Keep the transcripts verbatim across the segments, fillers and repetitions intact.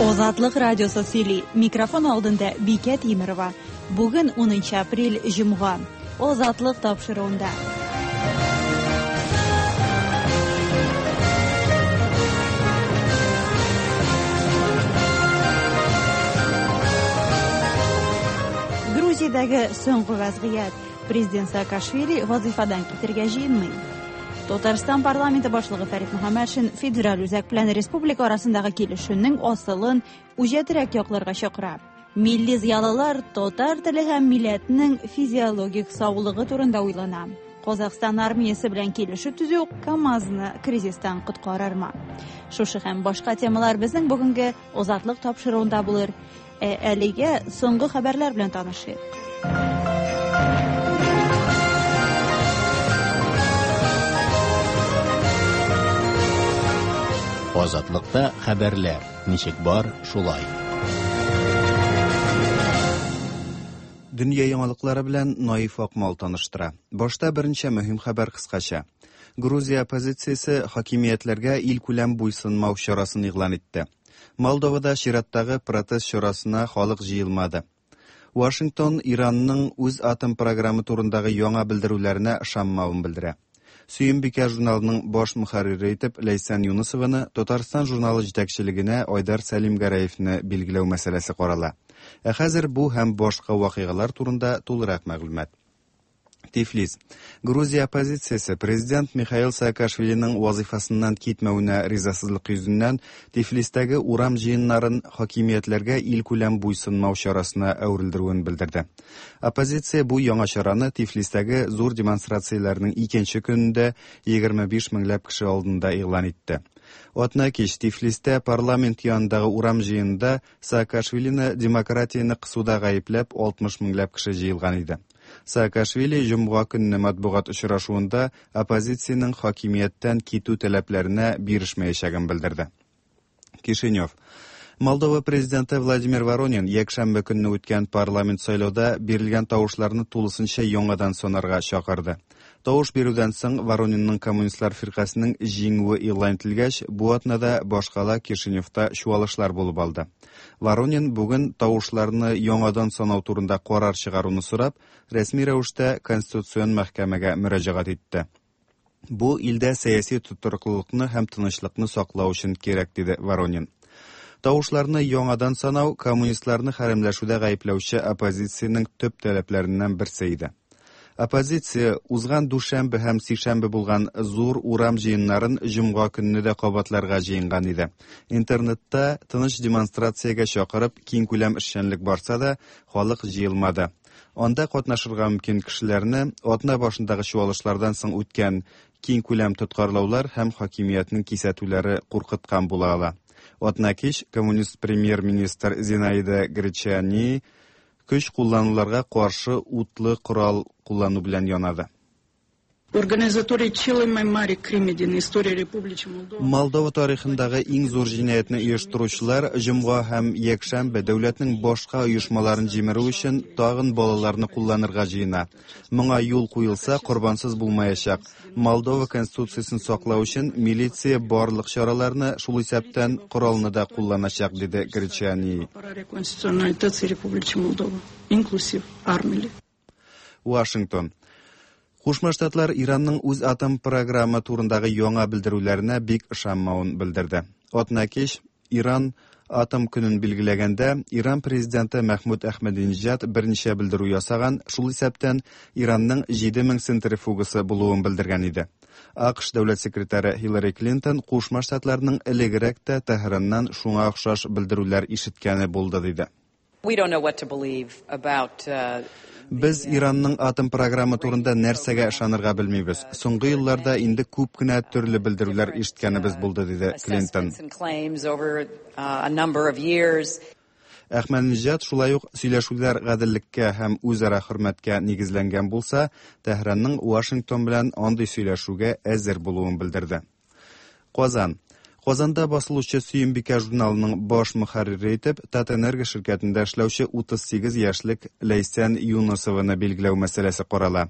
Азатлык радиосы сөйли. Микрофон алдында Бикә Тимерова. Бүген унынчы апрель, җомга. Азатлык тапшыруында. Грузиядәге соңгы вазгыять. Президент Саакашвили вазифадан китергә җыенмый. Татарстан парламенты башлыгы Фәрит Мөхәммәтшин федераль үзәк белән республика арасындагы килешүнең асылын үҗәтрәк якларга чакыра. Милли зыялылар татар теле һәм милләтнең физиологик саулыгы турында уйлана. Казахстан армиясе белән килешү төзү КАМАЗны кризистан коткарырмы? Шушы һәм башка темалар безнең бүгенге Азатлык тапшыруында булыр. Ә әлегә соңгы хәбәрләр белән танышыйк. Азатлыкта хәбәрләр ничек бар, шулай. Дөнья яңалыклары белән Наиф Акмал таныштыра. Башта берничә мөһим хәбәр кыскача. Грузия оппозициясе хакимиятләргә илкүләм буйсынмау чарасын игълан итте. Молдовада чираттагы протест чарасына халык җыелмады. Вашингтон Иранның үз атом программы турындагы яңа белдерүләренә ышанмавын белдерә. Сөембикә журналының баш мөхәррире итеп Ләйсән Юнысованы Татарстан журналы җитәкчелегенә Айдар Сәлимгәрәевне билгеләү мәсьәләсе карала. Ә хәзер бу һәм башка вакыйгалар турында тулырак мәгълүмат. Тифлис. Грузия оппозициясе президент Михаил Саакашвилиның вазифасыннан китмәвенә ризасызлык йөзеннән Тифлистәге урам җыеннарын хакимиятләргә илкүләм буйсынмау чарасына әверелдерүен белдерде. Оппозиция бу яңа чараны Тифлистәге зур демонстрацияләрнең икенче көнендә егерме биш меңләп кеше алдында игълан итте. Атна кич Тифлистә парламент янындагы урам җыенында Саакашвилины демократияне кысуда гаепләп алтмыш меңләп кеше җыелган иде. Саакашвили җомга көнне матбугат очрашуында оппозициянең хакимияттән китү таләпләренә бирешмәячәген белдерде. Кишинев. Молдова президенты Владимир Воронин якшәмбе көнне үткән парламент сайлауда бирелгән тавышларны тулысынча яңадан санарга чакырды. Тавыш бирүдән соң Воронинның коммунистлар фиркасының җиңүе игълан ителгәч, бу атнада башкала Кишиневта чуалышлар булып алды. Воронин бүген тавышларны яңадан санау турында карар чыгаруны сорап, рәсми рәвештә Конституцион мәхкәмәгә мөрәҗәгать итте. Бу илдә сәяси тотрыклылыкны һәм тынычлыкны саклау өчен кирәк, диде Воронин. Тавышларны яңадан санау коммунистларны хәрәмләшүдә гаепләүче оппозициянең төп таләпләреннән берсе иде. Оппозиция узган дүшәмбе һәм сишәмбе булган зур урам җыеннарын җомга көнне дә кабатларга җыенган иде. Интернетта тыныч демонстрациягә чакырып киңкүләм эшчәнлек барса да, халык җыелмады. Анда катнашырга мөмкин кешеләрне атна башындагы чуалышлардан соң үткән киңкүләм тоткарлаулар һәм хакимиятнең кисәтүләре куркыткан була ала. Атна кич коммунист премьер-министр Зинаида Гречани көч куллануларга каршы утлы корал куллану белән янады. Организаторы cele mai mari crime din istoria Republicii Moldova. Молдова тарихындагы иң зур җинаятьне оештыручылар җомга һәм якшәмбе дәүләтнең башка оешмаларын җимерү өчен тагын балаларны кулланырга җыена. Моңа юл куелса, корбансыз булмаячак. Молдова конституциясен саклау өчен милиция барлык чараларны, шул исәптән коралны да кулланачак, диде Гречани. Apărarea constituționalității Republicii Moldova, inclusiv armele. Вашингтон. Кушма Штатлар Иранның үз атом программы турындагы яңа белдерүләренә бик ышанмавын белдерде. Атна кич Иран атом көнен билгеләгәндә Иран президенты Мәхмүд Әхмәдинежад берничә белдерү ясаган, шул исәптән Иранның җиде мең центрифугасы булуын белдергән иде. АКШ дәүләт секретаре Хиллари Клинтон Кушма Штатларның элегрәк тә Тәһраннан шуңа охшаш белдерүләр ишеткәне булды диде. We don't know what to believe about, uh, Без Иранның атом программы турында нәрсәгә ышанырга белмибез. Соңгы елларда инде күп кенә төрле белдерүләр ишеткәнебез булды, диде Клинтон. assessments and claims over, uh, a number of years. Әхмәдинежад шулай ук сөйләшүләр гаделлеккә һәм үзара хөрмәткә нигезләнгән булса, Тәһранның Вашингтон белән андый сөйләшүгә әзер булуын белдерде. Казан. Казанда басылучы Сөембикә журналының баш мөхәррире итеп Татэнерго ширкәтендә эшләүче утыз сигез яшьлек Ләйсән Юнысованы билгеләү мәсьәләсе карала.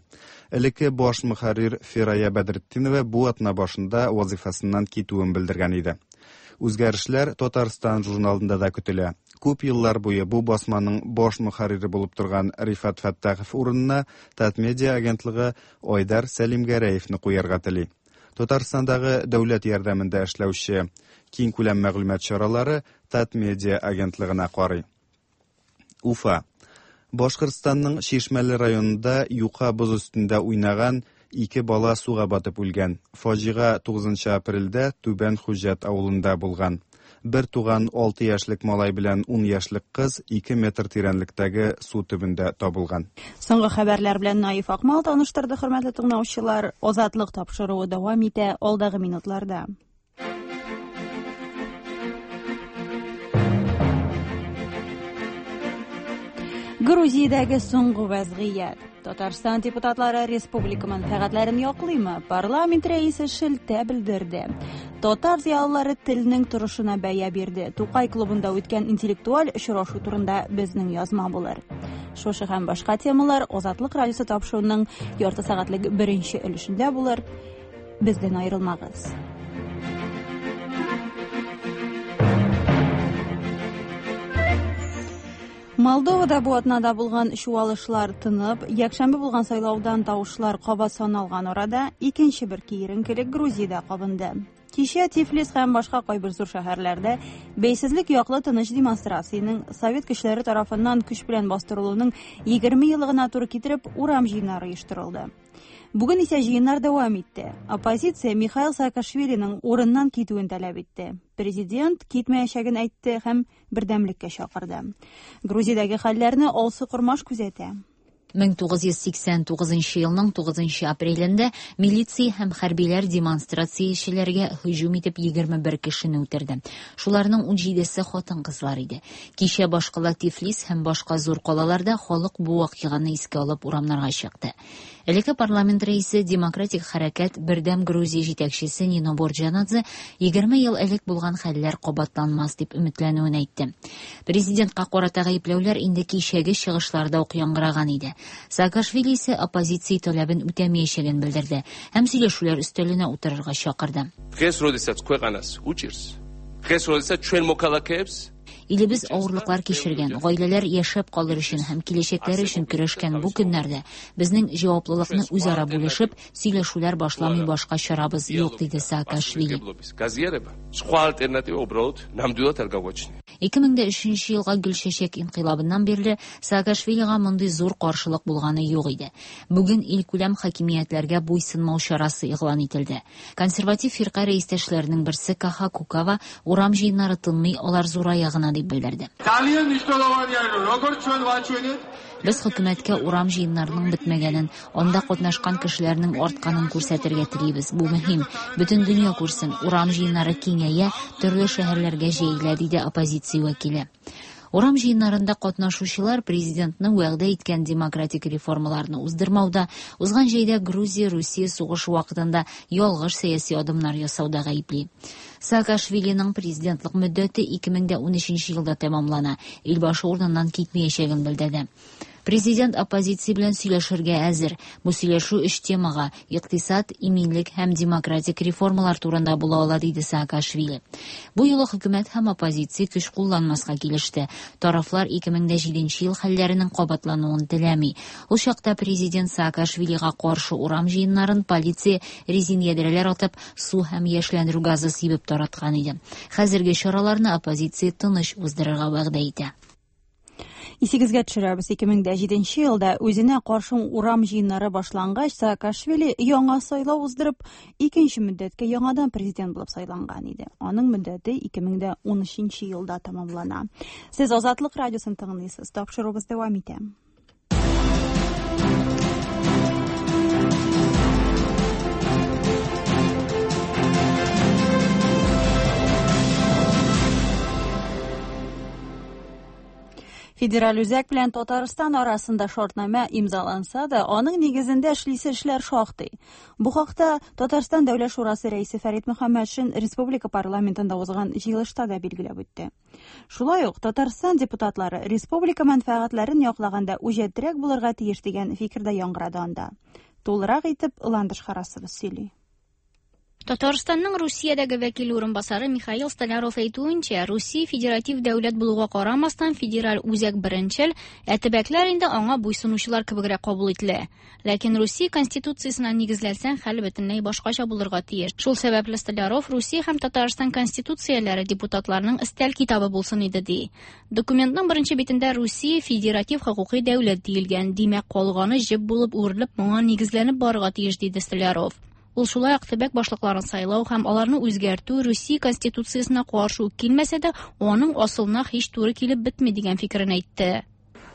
Элекке баш мөхәррир Фирая Бәдретдинова бу атна башында вазифасыннан китүен белдергән иде. Үзгәрешләр Татарстан журналында да көтелә. Күп еллар буе бу басманың баш мөхәррире булып торган Рифат Фәттахов урынына Татмедиа агентлыгы Айдар Сәлимгәрәевне куярга тели. Татарстандагы дәүләт ярдәмендә эшләүче киң күләм мәгълүмат чаралары Татмедиа агентлыгына карый. Уфа. Башкортстанның Чишмәле районында юка боз өстендә уйнаган ике бала суга батып үлгән. Фаҗига тугызынчы апрельдә Түбән Хуҗат авылында булган. Бер туган алты яшьлек малай белән ун яшьлек кыз ике метр тирәнлектәге су төбендә табылган. Соңгы хәбәрләр белән Наиф Акмал таныштырды, хөрмәтле тыңлаучылар. Азатлык тапшыруы дәвам итә алдагы минутларда. Грузиядәге соңгы вәзгыять. Татарстан депутатлары республика мәнфәгатьләрен яклыймы? Парламент рәисе шелтә белдерде. Татар зыялылары телнең торышына бәя бирде. Тукай клубында үткән интеллектуаль очрашу турында безнең язма булыр. Шушы һәм башка темалар Азатлык радиосы тапшыруының ярты сәгатьлек беренче өлешендә булыр. Бездән аерылмагыз. Молдовада бу атнада булган чуалышлар тынып, якшәмбе булган сайлаудан тавышлар кабат саналган арада икенче бер киеренкелек Грузиядә кабынды. Кичә Тифлис һәм башка кайбер зур шәһәрләрдә бәйсезлек яклы тыныч демонстрациянең совет көчләре тарафыннан көч белән бастырылуының егерме еллыгына туры китереп урам җыеннары оештырылды. Бүген исә җыеннар дәвам итте. Оппозиция Михаил Саакашвилиның урыннан китүен таләп итте. Президент китмәячәген әйтте һәм бердәмлеккә чакырды. Грузиядәге хәлләрне Алсу Кормаш күзәтә. мең тугыз йөз сиксән тугызынчы елның тугызынчы апрелендә милиция һәм хәрбиләр демонстрациячеләргә һөҗүм итеп егерме бер кешене үтерде. Шуларның ун җидесе хатын-кызлар иде. Кичә башкала Тифлис һәм башка зур калаларда халык бу вакыйганы искә алып урамнарга чыкты. Элекке парламент рәисе, демократик хәрәкәт Бердәм Грузия җитәкчесе Нино Борджанадзе егерме ел элек булган хәлләр кабатланмас дип өметләнүен әйтте. Президентка карата гаепләүләр инде кичәге чыгышларда ук яңгыраган иде. Саакашвили исә оппозиция таләбен үтәмәячәген белдерде һәм сөйләшүләр өстәленә утырырга чакырды. Დღეს როდესაც ქვეყანას უჭირს, დღეს როდესაც ჩვენ მოქალაქეებს Илебез авырлыклар кичергән, гаиләләр яшәп калыр өчен һәм киләчәкләр өчен көрәшкән бу көннәрдә безнең җаваплылыкны үзара бүлешеп, сөйләшүләр башламый башка чарабыз юк, диде Саакашвили. სხვა ალტერნატივა უბრალოდ ნამდვილად არ გაგვაჩნია. Ике мең дә өченче елга Гөлчәчәк инкыйлабыннан бирле Саакашвилига мондый зур каршылык булганы юк иде. Бүген илкүләм хакимиятләргә буйсынмау чарасы игълан ителде. Консерватив фирка рәистәшләренең берсе Каха Кукава урам җыеннары тынмый, алар зурая гына дип белдерде. Без хөкүмәткә урам җыеннарының бетмәгәнен, анда катнашкан кешеләрнең артканын күрсәтергә телибез. Бу мөһим. Бөтен дөнья күрсен, урам җыеннары киңәя, төрле шәһәрләргә җәелә, диде оппозиция вәкиле. Урам җыеннарында катнашучылар президентны вәгъдә иткән демократик реформаларны уздырмауда, узган җәйдә Грузия-Русия сугышы вакытында ялгыш сәяси адымнар ясауда гаепли. Саакашвилиның президентлык мөддәте ике мең дә унөченче елда тәмамлана. Илбашы урыныннан китмәячәген белдерде. Президент оппозиция белән сөйләшергә әзер. Бу сөйләшү өч темага: икътисад, иминлек һәм демократик реформалар турында була ала, диде Саакашвили. Бу юлы хөкүмәт һәм оппозиция көч кулланмаска килеште. Тарафлар ике мең дә җиденче ел хәлләренең кабатлануын теләми. Ул чакта президент Саакашвилига каршы урам җыеннарын полиция резин ядрәләр атып, су һәм яшьләндерү газы сибеп тараткан иде. Хәзерге чараларны оппозиция тыныч уздырырга вәгъдә итә. Исегезгә төшерәбез, ике мең дә җиденче елда үзенә каршы урам җыеннары башлангач, Саакашвили яңа сайлау уздырып, икенче мөддәткә яңадан президент булып сайланган иде. Аның мөддәте ике мең дә унөченче елда тәмамлана. Сез Азатлык радиосын тыңлыйсыз. Тапшыруыбыз дәвам итә. Федераль үзәк белән Татарстан арасында шартнамә имзаланса да, аның нигезендә эшлисе эшләр шактый. Бу хакта Татарстан Дәүләт Шурасы рәисе Фәрит Мөхәммәтшин республика парламентында узган җыелышта да билгеләп үтте. Шулай ук Татарстан депутатлары республика мәнфәгатьләрен яклаганда үҗәтрәк булырга тиеш дигән фикер дә яңгырады анда. Тулырак итеп Ландыш Харасова сөйли. Татарстанның Русиядәге вәкиле урынбасары Михаил Столяров әйтүенчә, Русия федератив дәүләт булуга карамастан, федераль үзәк беренчел, ә төбәкләр инде аңа буйсынучылар кебегрәк кабул ителә. Ләкин Русия конституциясенә нигезләнсәң, хәл бөтенләй башкача булырга тиеш. Шул сәбәпле Столяров Русия һәм Татарстан конституцияләре депутатларының өстәл китабы булсын иде ди. Документның беренче битендә Русия федератив хокукый дәүләт диелгән, димәк, калганы җеп булып үрелеп моңа нигезләнеп барырга тиеш, диде Столяров. Ул шулай ук төбәк башлыкларын сайлау һәм аларны үзгәртү Русия конституциясенә каршы ук килмәсә дә, аның асылына һич туры килеп бетми дигән фикерен әйтте.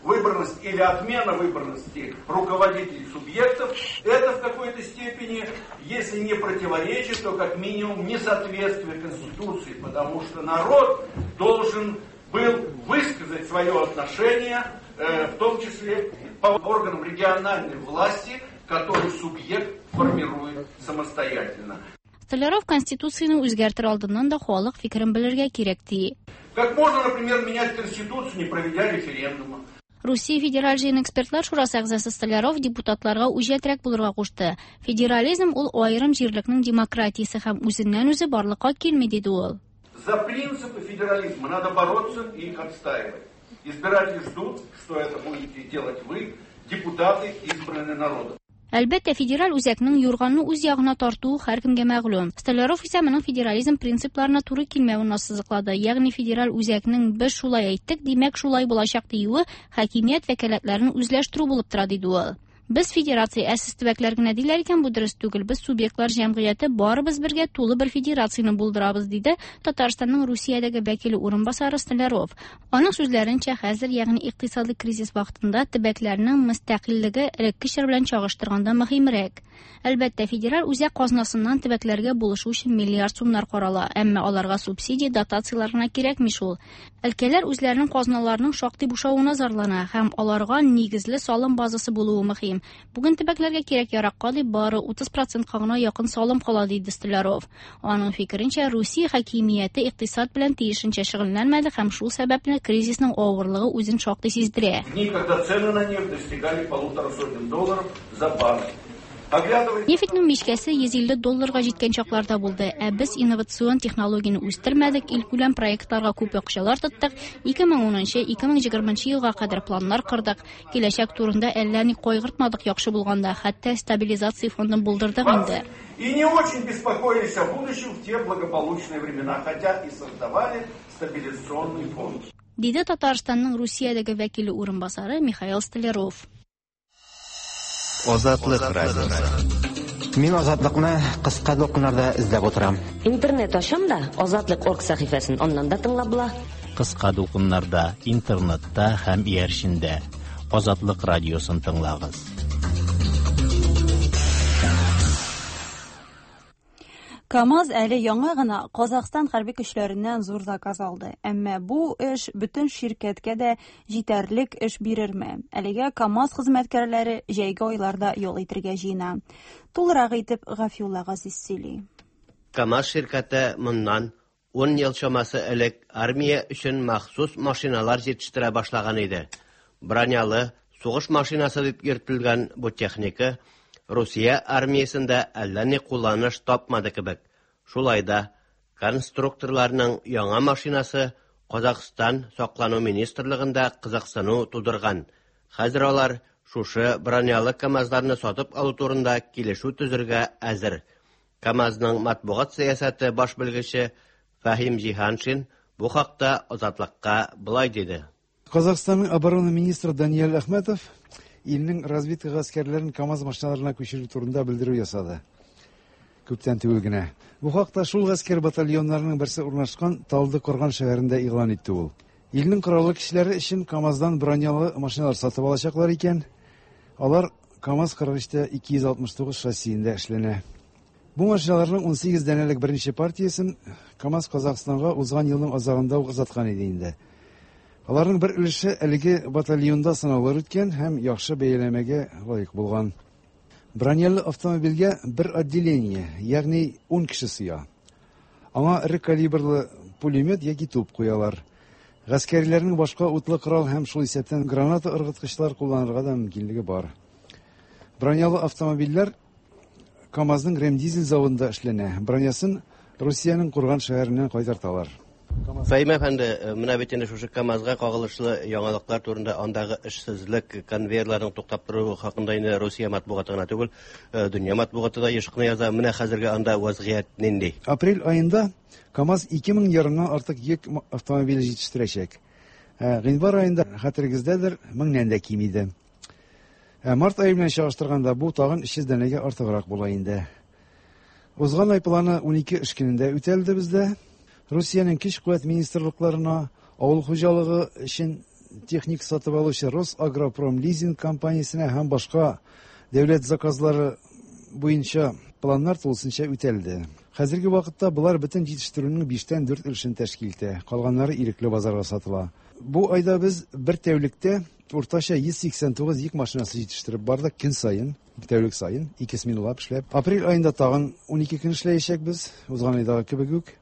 Выборность или отмена выборности руководителей субъектов, это в какой-то степени, если не противоречит, то как минимум несоответствие Конституции, потому что народ должен был высказать свое отношение, в том числе по органам региональной власти, который субъект формирует самостоятельно. Столяров Конституцияне үзгәртер алдыннан да халык фикерен белергә кирәк ди. Как можно, например, менять Конституцию, не проведя референдума? Русия Федераль җыен экспертлар шурасы әгъзасы Столяров депутатларга үҗәтрәк булырга кушты. Федерализм ул аерым җирлекнең демократиясе һәм үзеннән үзе барлыкка килми, диде ул. За принципы федерализма надо бороться и их отстаивать. Избиратели ждут, что это будете делать вы, депутаты, избранные народом. Әлбәттә, федераль үзәкнең юрганны үз ягына тартуы һәркемгә мәгълүм. Столяров исә моның федерализм принципларына туры килмәвен ассызыклады. Ягъни федераль үзәкнең без шулай әйттек, димәк шулай булачак диюе хакимият вәкаләтләрен үзләштерү булып тора, диде ул. Без федерация, ә сез төбәкләр генә диләр икән, бу дөрес түгел. Без субъектлар җәмгыяте барыбыз бергә тулы бер федерацияне булдырабыз, диде Татарстанның Русиядәге вәкиле урынбасары Столяров. Аның сүзләренчә, хәзер, ягъни икътисади кризис вакытында төбәкләрнең мөстәкыйльлеге элекке чор белән чагыштырганда мөһимрәк. Әлбәттә, федераль үзәк казнасыннан төбәкләргә булышу өчен миллиард сумнар карала, әмма аларга субсидия, дотацияләр гына кирәкми шул. Өлкәләр үзләренең казналарының шактый бушавына зарлана һәм аларга нигезле салым базасы булуы мөһим. Бүген төбәкләргә кирәк яракка дип бары утыз процентка гына якын салым кала, диде Столяров. Аның фикеренчә, Русия хакимияте икътисад белән тиешенчә шөгыльләнмәде һәм шул сәбәпле кризисның авырлыгы үзен шактый сиздерә. Дни, когда цены на нефть достигали полутора сотен долларов за баррель. Нефтьнең мичкәсе йөз илле долларга җиткән чакларда булды. Ә без инновацион технологияне үстермәдек, илкүләм проектларга күп акчалар тоттык. ике мең унынчы, ике мең егерменче елга кадәр планнар кордык. Киләчәк турында әллә ни кайгыртмадык яхшы булганда, хәтта стабилизация фондын булдырдык инде. И не очень беспокоились о будущем в те благополучные времена, хотя и создавали стабилизационный фонд. Диде Татарстанның Русиядәге вәкиле урынбасары Михаил Столяров. Азатлык радиосы. Мин Азатлыкны кыска дулкыннарда эзләп утырам. Интернет ачам да, Азатлык орг сәхифәсен аннан да тыңлап була. Кыска дулкыннарда, интернетта һәм иярчендә Азатлык радиосын тыңлагыз. КАМАЗ әле яңа гына Казахстан хәрби көчләреннән зур заказ алды. Әмма бу эш бөтен ширкәткә дә җитәрлек эш бирерме? Әлегә КАМАЗ хезмәткәрләре җәйге айларда ял итәргә җыена. Тулырак итеп Гафиулла Газиз сөйли. КАМАЗ ширкәте моннан ун ел чамасы элек армия өчен махсус машиналар җитештерә башлаган иде. Бронялы сугыш машинасы дип йөртелгән бу техника Русия армиясендә әллә ни кулланыш тапмады кебек. Шулай да конструкторларның яңа машинасы Казахстан саклану министрлыгында кызыксыну тудырган. Хәзер алар шушы бронялы КАМАЗларны сатып алу турында килешү төзергә әзер. КАМАЗның матбугат сәясәте баш белгече Фәһим Җиһаншин бу хакта Азатлыкка былай диде. Казахстанның оборона министры Даниэль Ахметов илнең разведка гаскәрләрен КАМАЗ машиналарына күчерү турында белдерү ясады. Күптән түгел генә. Бу хакта шул гаскәр батальоннарының берсе урнашкан Талды-Корган шәһәрендә игълан итте ул. Илнең кораллы кешеләре өчен КАМАЗдан бронялы машиналар сатып алачаклар икән. Алар КАМАЗ кырык өчтә ике йөз алтмыш тугыз шассиендә эшләнә. Бу машиналарның ун сигез данәлек беренче партиясен КАМАЗ Казахстанга узган елның азагында ук озаткан иде инде. Аларның бер өлеше әлеге батальонда сынаулар үткән һәм яхшы бәяләмәгә лаек булган. Бронялы автомобильгә бер отделение, ягъни ун кеше сыя. Аңа эре калибрлы пулемет яки туп куялар. Гаскәрләрнең башка утлы корал һәм шул исәптән граната ыргыткычлар кулланырга да мөмкинлеге бар. Бронялы автомобильләр КАМАЗның Ремдизель заводында эшләнә. Бронясын Русиянең Курган шәһәреннән кайтарталар. Фәһим әфәнде, менә бит инде шушы КАМАЗга кагылышлы яңалыклар турында андагы эшсезлек, конвейерларның туктап торуы хакында инде Русия матбугаты гына түгел, дөнья матбугаты да еш кына яза. Менә хәзерге анда вазгыять нинди? Апрель аенда КАМАЗ ике мең ярымнан артык йөк автомобиле җитештерәчәк. Гыйнвар аенда, хәтерегездәдер, меңнән дә ким иде. Март ае белән чагыштырганда бу тагын өч йөз данәгә артыграк була инде. Узган ай планы ун ике эш көнендә үтәлде бездә. Русиянең көч-куәт министрлыкларына авыл хуҗалыгы өчен техник сатып алучы Росагропром лизинг компаниясенә һәм башка дәүләт заказлары буенча планнар тулысынча үтәлде. Хәзерге вакытта болар бөтен җитештерүнең биштән дүрт өлешен тәшкил итә, калганнары ирекле базарга сатыла. Бу айда без бер тәүлектә уртача йөз сиксән тугыз йөк машинасы җитештереп бардык көн саен, тәүлек саен, ике сменалап эшләп. Апрель аенда тагын ун ике көн эшләячәкбез, узган айдагы кебек үк.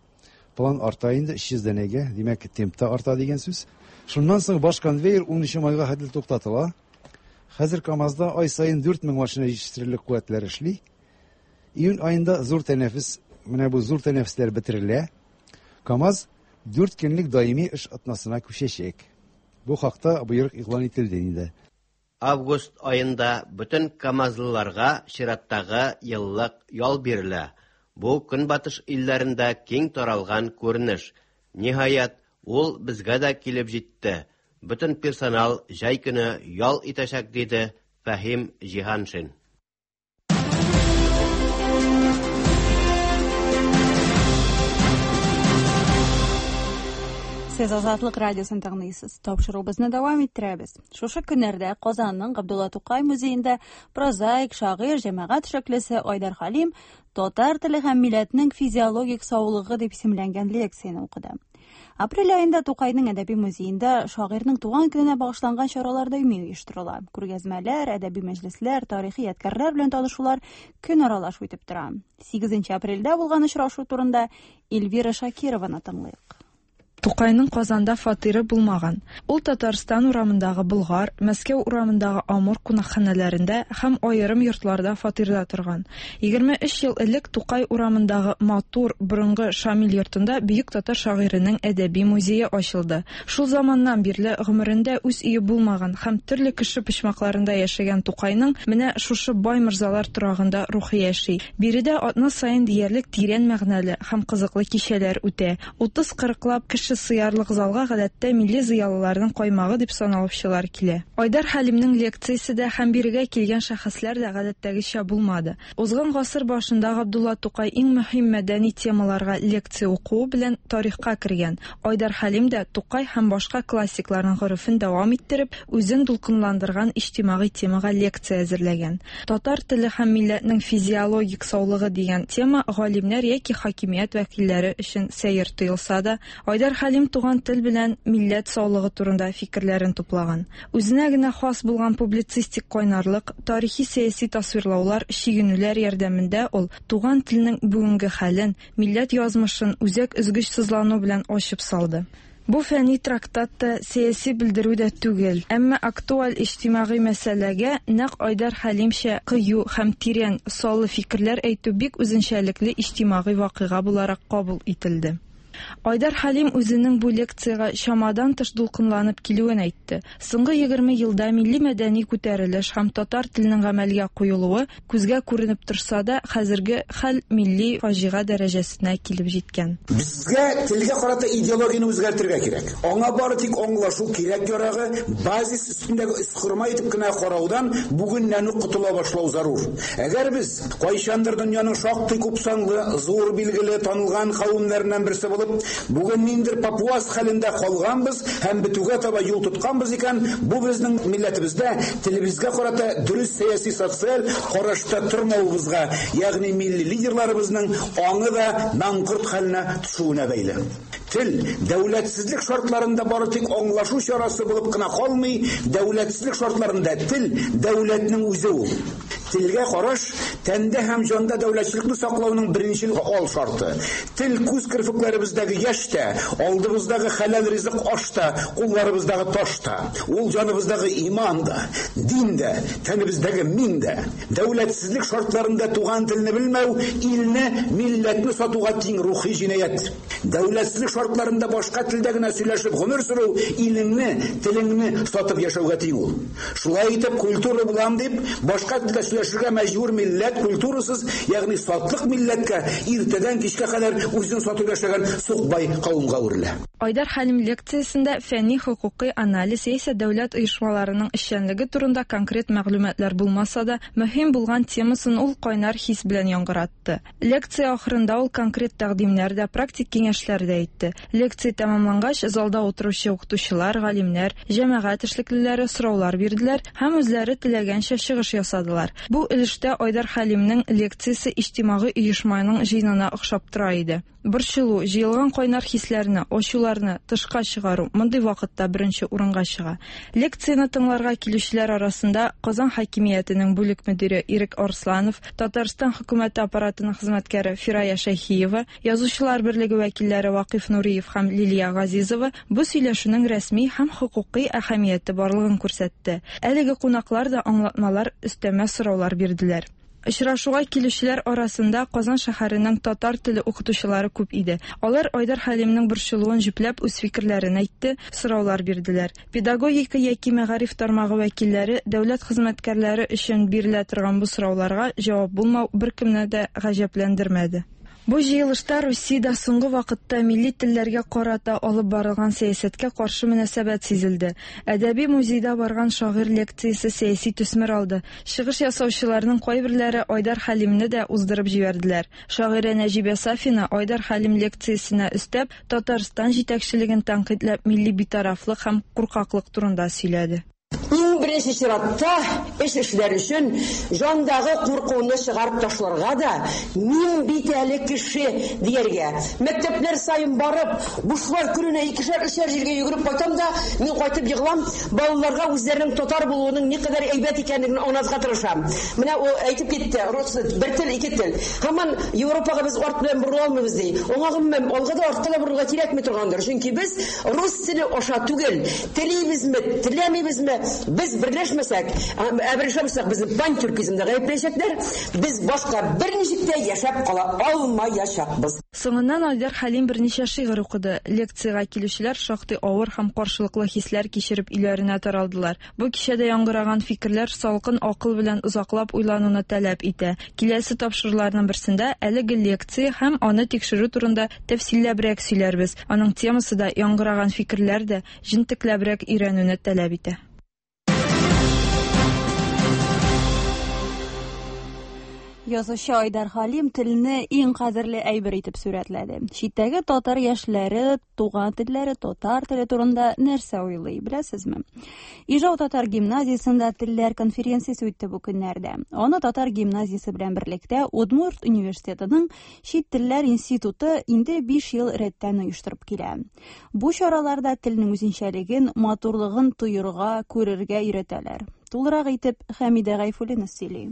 План арта инде өч йөз данәгә, димәк, темп та арта дигән сүз. Шуннан соң баш конвейер унынчы майга хәтле туктатыла. Хәзер КАМАЗда ай саен дүрт мең машина җитештерерлек куәтләр эшли. Июнь аенда зур тәнәфес, менә бу зур тәнәфесләр бетерелә. КАМАЗ дүрт көнлек даими эш атнасына күчәчәк. Бу хакта боерык игълан ителде инде. Август аенда бөтен КАМАЗлыларга чираттагы еллык ял бирелә. Бу көнбатыш илләрендә киң таралган күренеш. Ниһаять, ул безгә дә килеп җитте. Бөтен персонал җәй көне ял итәчәк, диде Фәһим Җиһаншин. Сез Азатлык радиосын тыңлыйсыз. Тапшыруыбызны дәвам иттерәбез. Шушы көннәрдә Казанның Габдулла Тукай музеенда прозаик, шагыйрь, җәмәгать эшлеклесе Айдар Хәлим татар теле һәм милләтнең физиологик саулыгы дип исемләнгән лекцияне укыды. Апрель аенда Тукайның әдәби музеенда шагыйрьнең туган көненә багышланган чаралар даими оештырыла. Күргәзмәләр, әдәби мәҗлесләр, тарихи ядкәрләр белән танышулар көн аралаш үтеп тора. Сигезенче апрельдә булган очрашу турында Эльвира Шакированы тыңлыйк. Тукайның Казанда фатиры булмаган. Ул Татарстан урамындагы Болгар, Мәскәү урамындагы Амур кунакханәләрендә һәм аерым йортларда фатирда торган. Егерме өч ел элек Тукай урамындагы матур борынгы Шамил йортында бөек татар шагыйренең әдәби музее ачылды. Шул заманнан бирле гомерендә үз өе булмаган һәм төрле кеше почмакларында яшәгән Тукайның менә шушы бай морзалар торагында рухы яши. Биредә атна саен диярлек тирән мәгънәле һәм кызыклы кичәләр үтә. Утыз кырыклап кеше сыярлык залга гадәттә милли зыялыларның каймагы дип саналучылар килә. Айдар Хәлимнең лекциясе дә һәм бирегә килгән шәхесләр дә гадәттәгечә булмады. Узган гасыр башында Габдулла Тукай иң мөһим мәдәни темаларга лекция укуы белән тарихка кергән. Айдар Хәлим дә Тукай һәм башка классикларның горефен дәвам иттереп, үзен дулкынландырган иҗтимагый темага лекция әзерләгән. Татар теле һәм милләтнең физиологик саулыгы дигән тема галимнәр яки хакимият вәкилләре өчен сәер тоелса да, Айдар Хәлим туган тел белән милләт саулыгы турында фикерләрен туплаган. Үзенә генә хас булган публицистик кайнарлык, тарихи сәяси тасвирлаулар, чигенүләр ярдәмендә ул туган телнең бүгенге хәлен, милләт язмышын үзәк өзгеч сызлану белән ачып салды. Бу фәнни трактат та, сәяси белдерү дә түгел, әмма актуаль иҗтимагый мәсьәләгә нәкъ Айдар Хәлимчә кыю һәм тирән саллы фикерләр әйтү бик үзенчәлекле иҗтимагый вакыйга буларак кабул ителде. Айдар Хәлим үзенең бу лекциягә чамадан тыш дулкынланып килүен әйтте. Соңгы егерме елда милли мәдәни күтәрелеш һәм татар теленең гамәлгә куелуы күзгә күренеп торса да, хәзерге хәл милли фаҗига дәрәҗәсенә килеп җиткән. Безгә телгә карата идеологияне үзгәртергә кирәк. Аңа бары тик аңлашу кирәк ярагы, базис өстендәге өсхөрмә итеп кенә караудан бүгеннән үк котыла башлау зарур. Әгәр без кайчандыр дөньяның шактый күпсанлы, зур билгеле, танылган кавемнәреннән берсе булып бүген ниндер папуас хәлендә калганбыз һәм бетүгә таба юл тотканбыз икән, бу безнең милләтебездә телебезгә карата дөрес сәяси социаль карашта тормавыбызга, ягъни милли лидерларыбызның аңы да маңкорт хәленә төшүенә бәйле. Тел дәүләтсезлек шартларында бары тик аңлашу чарасы булып кына калмый, дәүләтсезлек шартларында тел дәүләтнең үзе ул. Телгә караш тәндә һәм җанда дәүләтчелекне саклауның беренче ал шарты. Тел күз керфекләребездәге яшь тә, алдыбыздагы хәләл ризык аш та, кулларыбыздагы таш та. Ул җаныбыздагы иман да, дин дә, тәнебездәге мин дә. Дәүләтсезлек шартларында туган телне белмәү илне, милләтне сатуга тиң рухи җинаять. Дәүләтсезлек шартларында башка телдә генә сөйләшеп гомер сөрү илеңне, телеңне сатып яшәүгә тиң ул. Шулай итеп культура булам дип, башка телдә сөйләшергә мәҗбүр милләт культурасыз, ягъни сатлык милләткә иртәдән кичкә кадәр үзен сатып яшәгән сукбай кавымга әверелә. Айдар Хәлим лекциясендә фәнни хокукый анализ яисә дәүләт оешмаларының эшчәнлеге турында конкрет мәгълүматлар булмаса да, мөһим булган темасын ул кайнар хис белән яңгыратты. Лекция ахырында ул конкрет тәкъдимнәр дә, практик киңәшләр дә әйтте. Лекция тәмамлангач, залда утыручы укытучылар, галимнәр, җәмәгать эшлеклеләре сораулар бирделәр һәм үзләре теләгәнчә чыгыш ясадылар. Бу өлештә Айдар Хәлимнең лекциясе иҗтимагый оешманың җыенына охшап тора иде. Борчылу, җыелган кайнар хисләрне, ачуларны тышка чыгару мондый вакытта беренче урынга чыга. Лекцияне тыңларга килүчеләр арасында Казан хакимиятенең бүлек мөдире Ирек Арсланов, Татарстан хөкүмәте аппаратының хезмәткәре Фирая Шәйхиева, Язучылар берлеге вәкилләре Вакыйф Нуриев һәм Лилия Газизова бу сөйләшүнең рәсми һәм хокукый әһәмияте барлыгын күрсәтте. Әлеге кунаклар да аңлатмалар, өстәмә сораулар бирделәр. Очрашуга килүчеләр арасында Казан шәһәренең татар теле укытучылары күп иде. Алар Айдар Хәлимнең борчылуын җөпләп үз фикерләрен әйтте, сораулар бирделәр. Педагогика яки мәгариф тармагы вәкилләре дәүләт хезмәткәрләре өчен бирелә торган бу сорауларга җавап булмау беркемне дә гаҗәпләндермәде. Бу җыелышта Русиядә соңгы вакытта милли телләргә карата алып барылган сәясәткә каршы мөнәсәбәт сизелде. Әдәби музейда барган шагыйрь лекциясе сәяси төсмер алды. Чыгыш ясаучыларның кайберләре Айдар Хәлимне дә уздырып җибәрделәр. Шагыйрә Нәҗибә Сафина Айдар Хәлим лекциясенә өстәп, Татарстан җитәкчелеген тәнкыйтьләп милли битарафлык һәм куркаклык турында сөйләде. Иң беренче чиратта эш эшләр өчен җандагы куркуны чыгарып ташларга да, мин бит әле кеше дияргә. Мәктәпләр саен барып, бушлай көненә икешәр, өчәр җиргә йөгереп кайтам да, мин кайтып егылам, балаларга үзләренең татар булуының никадәр әйбәт икәнлеген аңлатырга тырышам. Менә ул әйтеп китте, рус бер тел, ике тел. Һаман Европага без арт белән борыла алмыйбыз ди. Аңа гомумән алга да артка да борырга кирәкми торгандыр. Чөнки без рус теле аша түгел, телибезме, теләмибезме, без берләшмәсәк, ә берләшмәсәк, безне пантюркизмда гаепләячәкләр, без башка берничек тә яшәп кала алмаячакбыз. Соңыннан Айдар Хәлим берничә шигырь укыды. Лекциягә килүчеләр шактый авыр һәм каршылыклы хисләр кичереп өйләренә таралдылар. Бу кичәдә яңгыраган фикерләр салкын акыл белән озаклап уйлануны таләп итә. Киләсе тапшыруларның берсендә әлеге лекция һәм аны тикшерү турында тәфсилләбрәк сөйләрбез. Аның темасы да, яңгыраган фикерләр дә җентекләбрәк өйрәнүне таләп итә. Язучы Айдар Хәлим телне иң кадерле әйбер итеп сурәтләде. Читтәге татар яшьләре туган телләре, татар теле турында нәрсә уйлый, беләсезме? Ижау татар гимназиясендә телләр конференциясе үтте бу көннәрдә. Аны татар гимназиясе белән берлектә Удмурт университетының чит телләр институты инде биш ел рәттән оештырып килә. Бу чараларда телнең үзенчәлеген, матурлыгын тоерга, күрергә өйрәтәләр. Тулырак итеп Хәмидә Гайфуллина сөйли.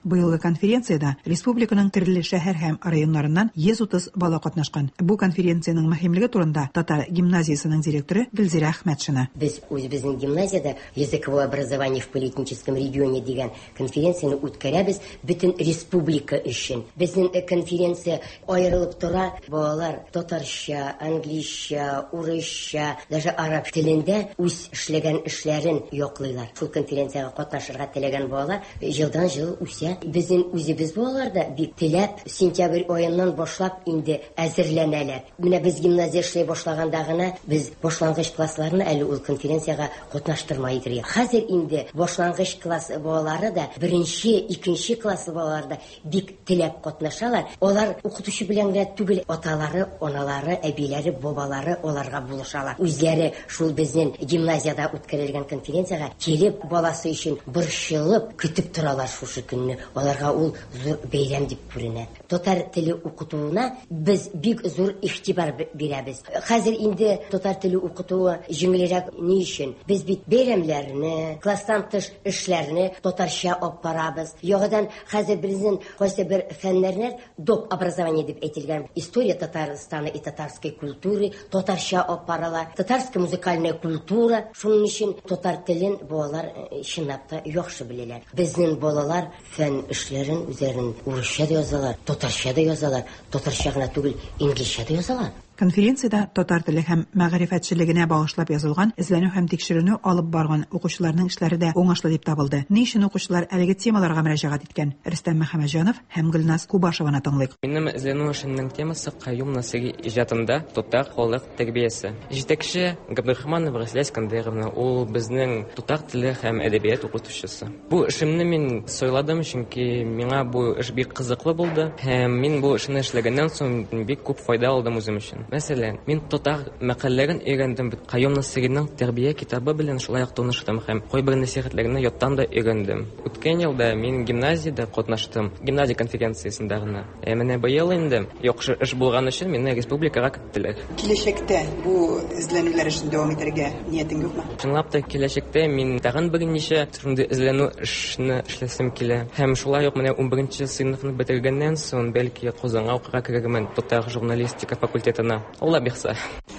Быелгы конференциядә республиканың төрле шәһәр һәм районнарыннан йөз утыз бала катнашкан. Бу конференциянең мөһимлеге турында татар гимназиясенең директоры Гөлзирә Әхмәтшина. Без үзебезнең гимназиядә языковое образование в политическом регионе дигән конференцияне үткәрәбез бөтен республика өчен. Безнең конференция аерылып тора. Балалар татарча, английча, урысча, даже араб телендә үз эшләгән эшләрен яклыйлар. Шул конференциягә катнашырга теләгән балалар елдан-ел үсә. Безнең үзебез балалар да бик теләп сентябрь аеннан башлап инде әзерләнәләр. Менә без гимназия эшләй башлаганда гына без башлангыч классларны әле ул конференциягә катнаштырмай идек. Хәзер инде башлангыч класс балалары да, беренче, икенче класс балалары да бик теләп катнашалар. Алар укытучы белән генә түгел, аталары, аналары, әбиләре, бабалары аларга булышалар. Үзләре шул безнең гимназиядә үткәрелгән конференциягә килеп, баласы өчен борчылып көтеп торалар шушы көнне. Аларга ул зур бәйрәм дип күренә. Татар теле укытуына без бик зур игътибар бирәбез. Хәзер инде татар теле укытуы җиңелрәк ни өчен? Без бит бәйрәмнәрне, класстан тыш эшләрне татарча алып барабыз. Яңадан хәзер безнең кайсы бер фәннәрне доп образование дип әйтелгән история Татарстана и татарской культуры татарча алып барыла. Татарская музыкальная культура. Шуның өчен татар телен балалар чынлап та яхшы беләләр. Безнең балалар фән эшләрен үзләрен урысча да язалар, татарча да язалар, татарча гына түгел, инглизчә дә язалар. Конференциядә татар теле һәм мәгърифәтчелегенә багышлап язылган эзләнү һәм тикшеренү алып барган укучыларның эшләре дә уңышлы дип табылды. Ни өчен укучылар әлеге темаларга мөрәҗәгать иткән? Рөстәм Мөхәммәтҗанов һәм Гөлназ Кубашеваны тыңлыйк. Минем эзләнү эшемнең темасы Каюм Насыйри иҗатында татар халык тәрбиясе. Җитәкче Габдрахманова Рәсилә Искәндәровна, ул безнең татар теле һәм әдәбият укытучысы. Бу эшемне мин сайладым, чөнки миңа бу эш бик кызыклы булды һәм мин бу эшне эшләгәннән соң бик күп файда алдым үзем өчен. Мәсәлән, мин татар мәкальләрен өйрәндем, Каюм Насыйриның тәрбия китабы белән шулай ук таныштым һәм кайбер нәсыйхәтләрне яттан да өйрәндем. Үткән елда мин гимназиядә катнаштым, гимназия конференциясендә генә. Ә менә быел инде яхшы эш булган өчен мине республикага керттеләр. Киләчәктә бу эзләнүләр эшен дәвам итәргә ниятең юкмы? Чынлап та киләчәктә мин тагын берничә шундый эзләнү эшне эшләсем килә. Һәм шулай ук менә унберенче сыйныфны бетергәннән соң бәлки Казанга укырга керермен, татар журналистика факультетына. Алла бирсә.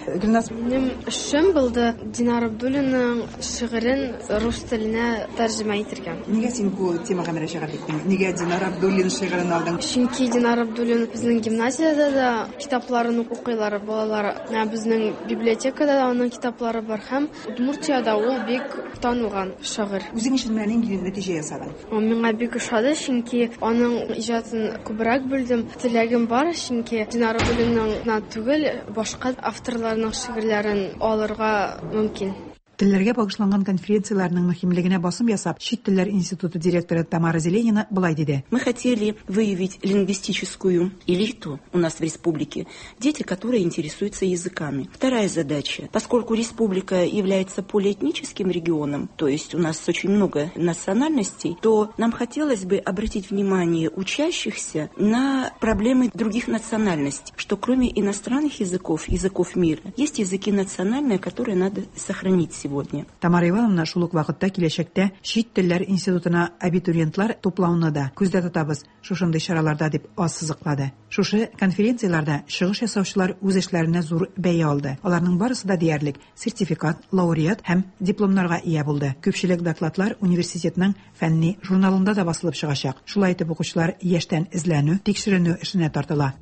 Гөлназ, минем эшем булды Динар Абдуллинның шигырен рус теленә тәрҗемә итергә. Нигә син бу темага мөрәҗәгать иттең? Нигә Динар Абдуллин шигырен алдың? Чөнки Динар Абдуллин безнең гимназиядә дә китапларын укыйлар балалар. Менә безнең библиотекада да аның китаплары бар һәм Удмуртиядә ул бик танылган шагыйрь. Үзең өчен менә нинди нәтиҗә ясадың? Миңа бик ошады, чөнки аның иҗатын күбрәк белдем. Теләгем бар, чөнки Динар Абдуллинның гына түгел, башка авторларның шигырьләрен алырга мөмкин. Телләргә багышланган конференцияләрнең мөһимлегенә басым ясап, Чит телләр институты директоры Тамара Зеленина былай диде. Мы хотели выявить лингвистическую элиту у нас в республике, дети, которые интересуются языками. Вторая задача. Поскольку республика является полиэтническим регионом, то есть у нас очень много национальностей, то нам хотелось бы обратить внимание учащихся на проблемы других национальностей, что кроме иностранных языков, языков мира, есть языки национальные, которые надо сохранить сегодня. Тамара Ивановна шул ук вакытта киләчәктә Чит телләр институтына абитуриентлар туплауны да күздә тотабыз шушындый чараларда дип ассызыклады. Шушы конференцияләрдә чыгыш ясаучылар үз эшләренә зур бәя алды. Аларның барысы да диярлек сертификат, лауреат һәм дипломнарга ия булды. Күпчелек докладлар университетның фәнни журналында да басылып чыгачак. Шулай итеп укучылар яшьтән эзләнү, тикшеренү эшенә тартыла.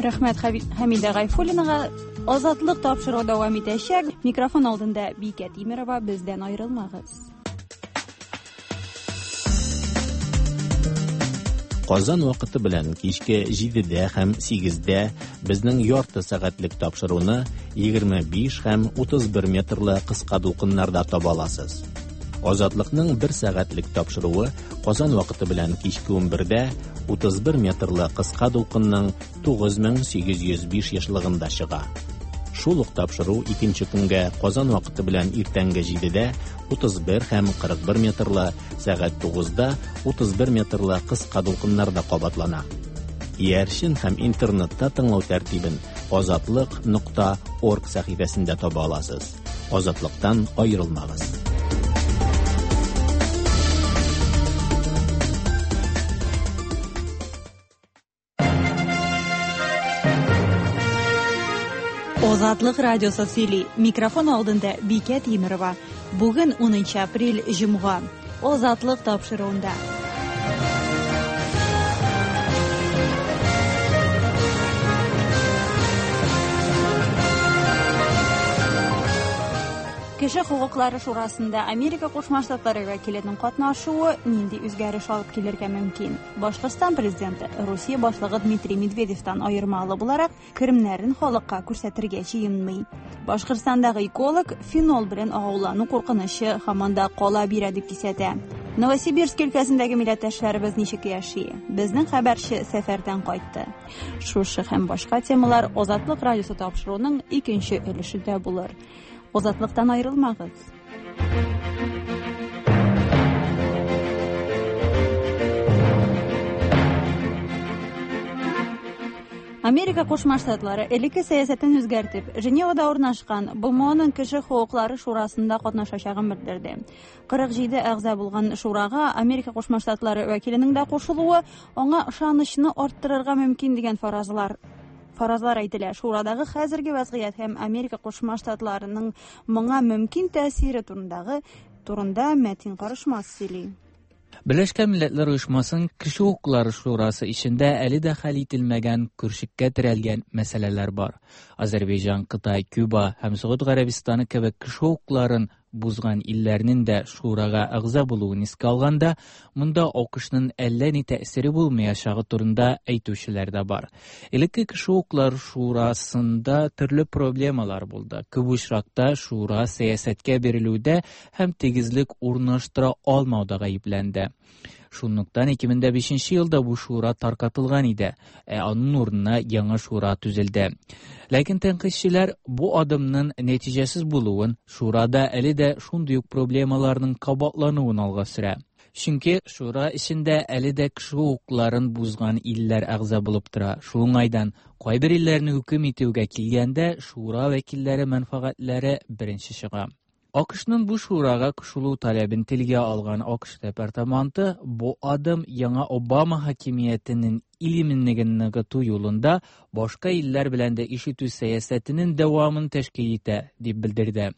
Рәхмәт Хәмидә Гайфуллинага. Азатлык тапшыруы дәвам итәчәк. Микрофон алдында Бикә Тимерова, бездән аерылмагыз. Казан вакыты белән кичке җидедә һәм сигездә безнең ярты сәгатьлек тапшыруны егерме биш һәм утыз бер метрлы кыска дулкыннарда таба аласыз. Азатлыкның бер сәгатьлек тапшыруы Казан вакыты белән кичке унбердә утыз бер метрлы кыска дулкынның тугыз мең сигез йөз биш ешлыгында чыга. Шул ук тапшыру икенче көнгә Казан вакыты белән иртәнге җидедә утыз бер һәм кырык бер метрлы, сәгать тугызда утыз бер метрлы кыска дулкыннарда кабатлана. Иярчен һәм интернетта тыңлау тәртибен азатлык нокта орг сәхифәсендә таба аласыз. Азатлыктан аерылмагыз. Азатлык радиосы сөйли. Микрофон алдында Бикә Тимерова. Бүген унынчы апрель, җомга. Азатлык тапшыруында. Кеше хокуклары шурасында Америка Кушма Штатлары вәкиленең катнашуы нинди үзгәреш алып килергә мөмкин? Башкортстан президенты Русия башлыгы Дмитрий Медведевтан аермалы буларак керемнәрен халыкка күрсәтергә җыенмый. Башкортстандагы эколог фенол белән агулану куркынычы һаман да кала бирә дип кисәтә. Новосибирск өлкәсендәге милләттәшләребез ничек яши? Безнең хәбәрче сәфәрдән кайтты. Шушы һәм башка темалар Азатлык радиосы тапшыруының икенче өлешендә булыр. Азатлыктан аерылмагыз. Америка Кушма Штатлары элекке сәясәтен үзгәртеп, Женевада урнашкан Б М Оның кеше хокуклары шурасында катнашачагын белдерде. кырык җиде әгъза булган шурага Америка Кушма Штатлары вәкиленең дә кушылуы аңа ышанычны арттырырга мөмкин дигән фаразлар фаразлар әйтелә. Шурадагы хәзерге вазгыять һәм Америка Кушма Штатларының моңа мөмкин тәэсире турындагы турында Мәтин Карышмас сөйли. Берләшкән Милләтләр Оешмасының Кеше хокуклары шурасы эшендә әле дә хәл ителмәгән, көршеккә терәлгән мәсьәләләр бар. Азәрбайҗан, Кытай, Куба һәм Согуд Гарәбистаны кебек кеше хокукларын бузган илләрнең дә шурага әгъза булуын искә алганда, монда А К Шның әллә ни тәэсире булмаячагы турында әйтүчеләр дә бар. Элекке кеше хокуклары шурасында төрле проблемалар булды. Күп очракта шура сәясәткә бирелүдә һәм тигезлек урнаштыра алмауда гаепләнде. Шунлыктан ике мең бишенче елда бу шура таркатылган иде, ә аның урынына яңа шура төзелде. Ләкин тәнкыйтьчеләр бу адымның нәтиҗәсез булуын, шурада әле дә шундый ук проблемаларның кабатлануын алга сөрә. Чөнки шура эчендә әле дә кеше хокукларын бузган илләр әгъза булып тора. Шул уңайдан кайбер илләрне хөкем итүгә килгәндә шура вәкилләре мәнфәгатьләре беренче чыга. А К Шның бу шурага кушылу таләбен телгә алган А К Ш департаменты бу адым яңа Обама хакимиятенең ил иминлеген ныгыту юлында башка илләр белән дә эш итү сәясәтенең дәвамын тәшкил итә, дип белдерде.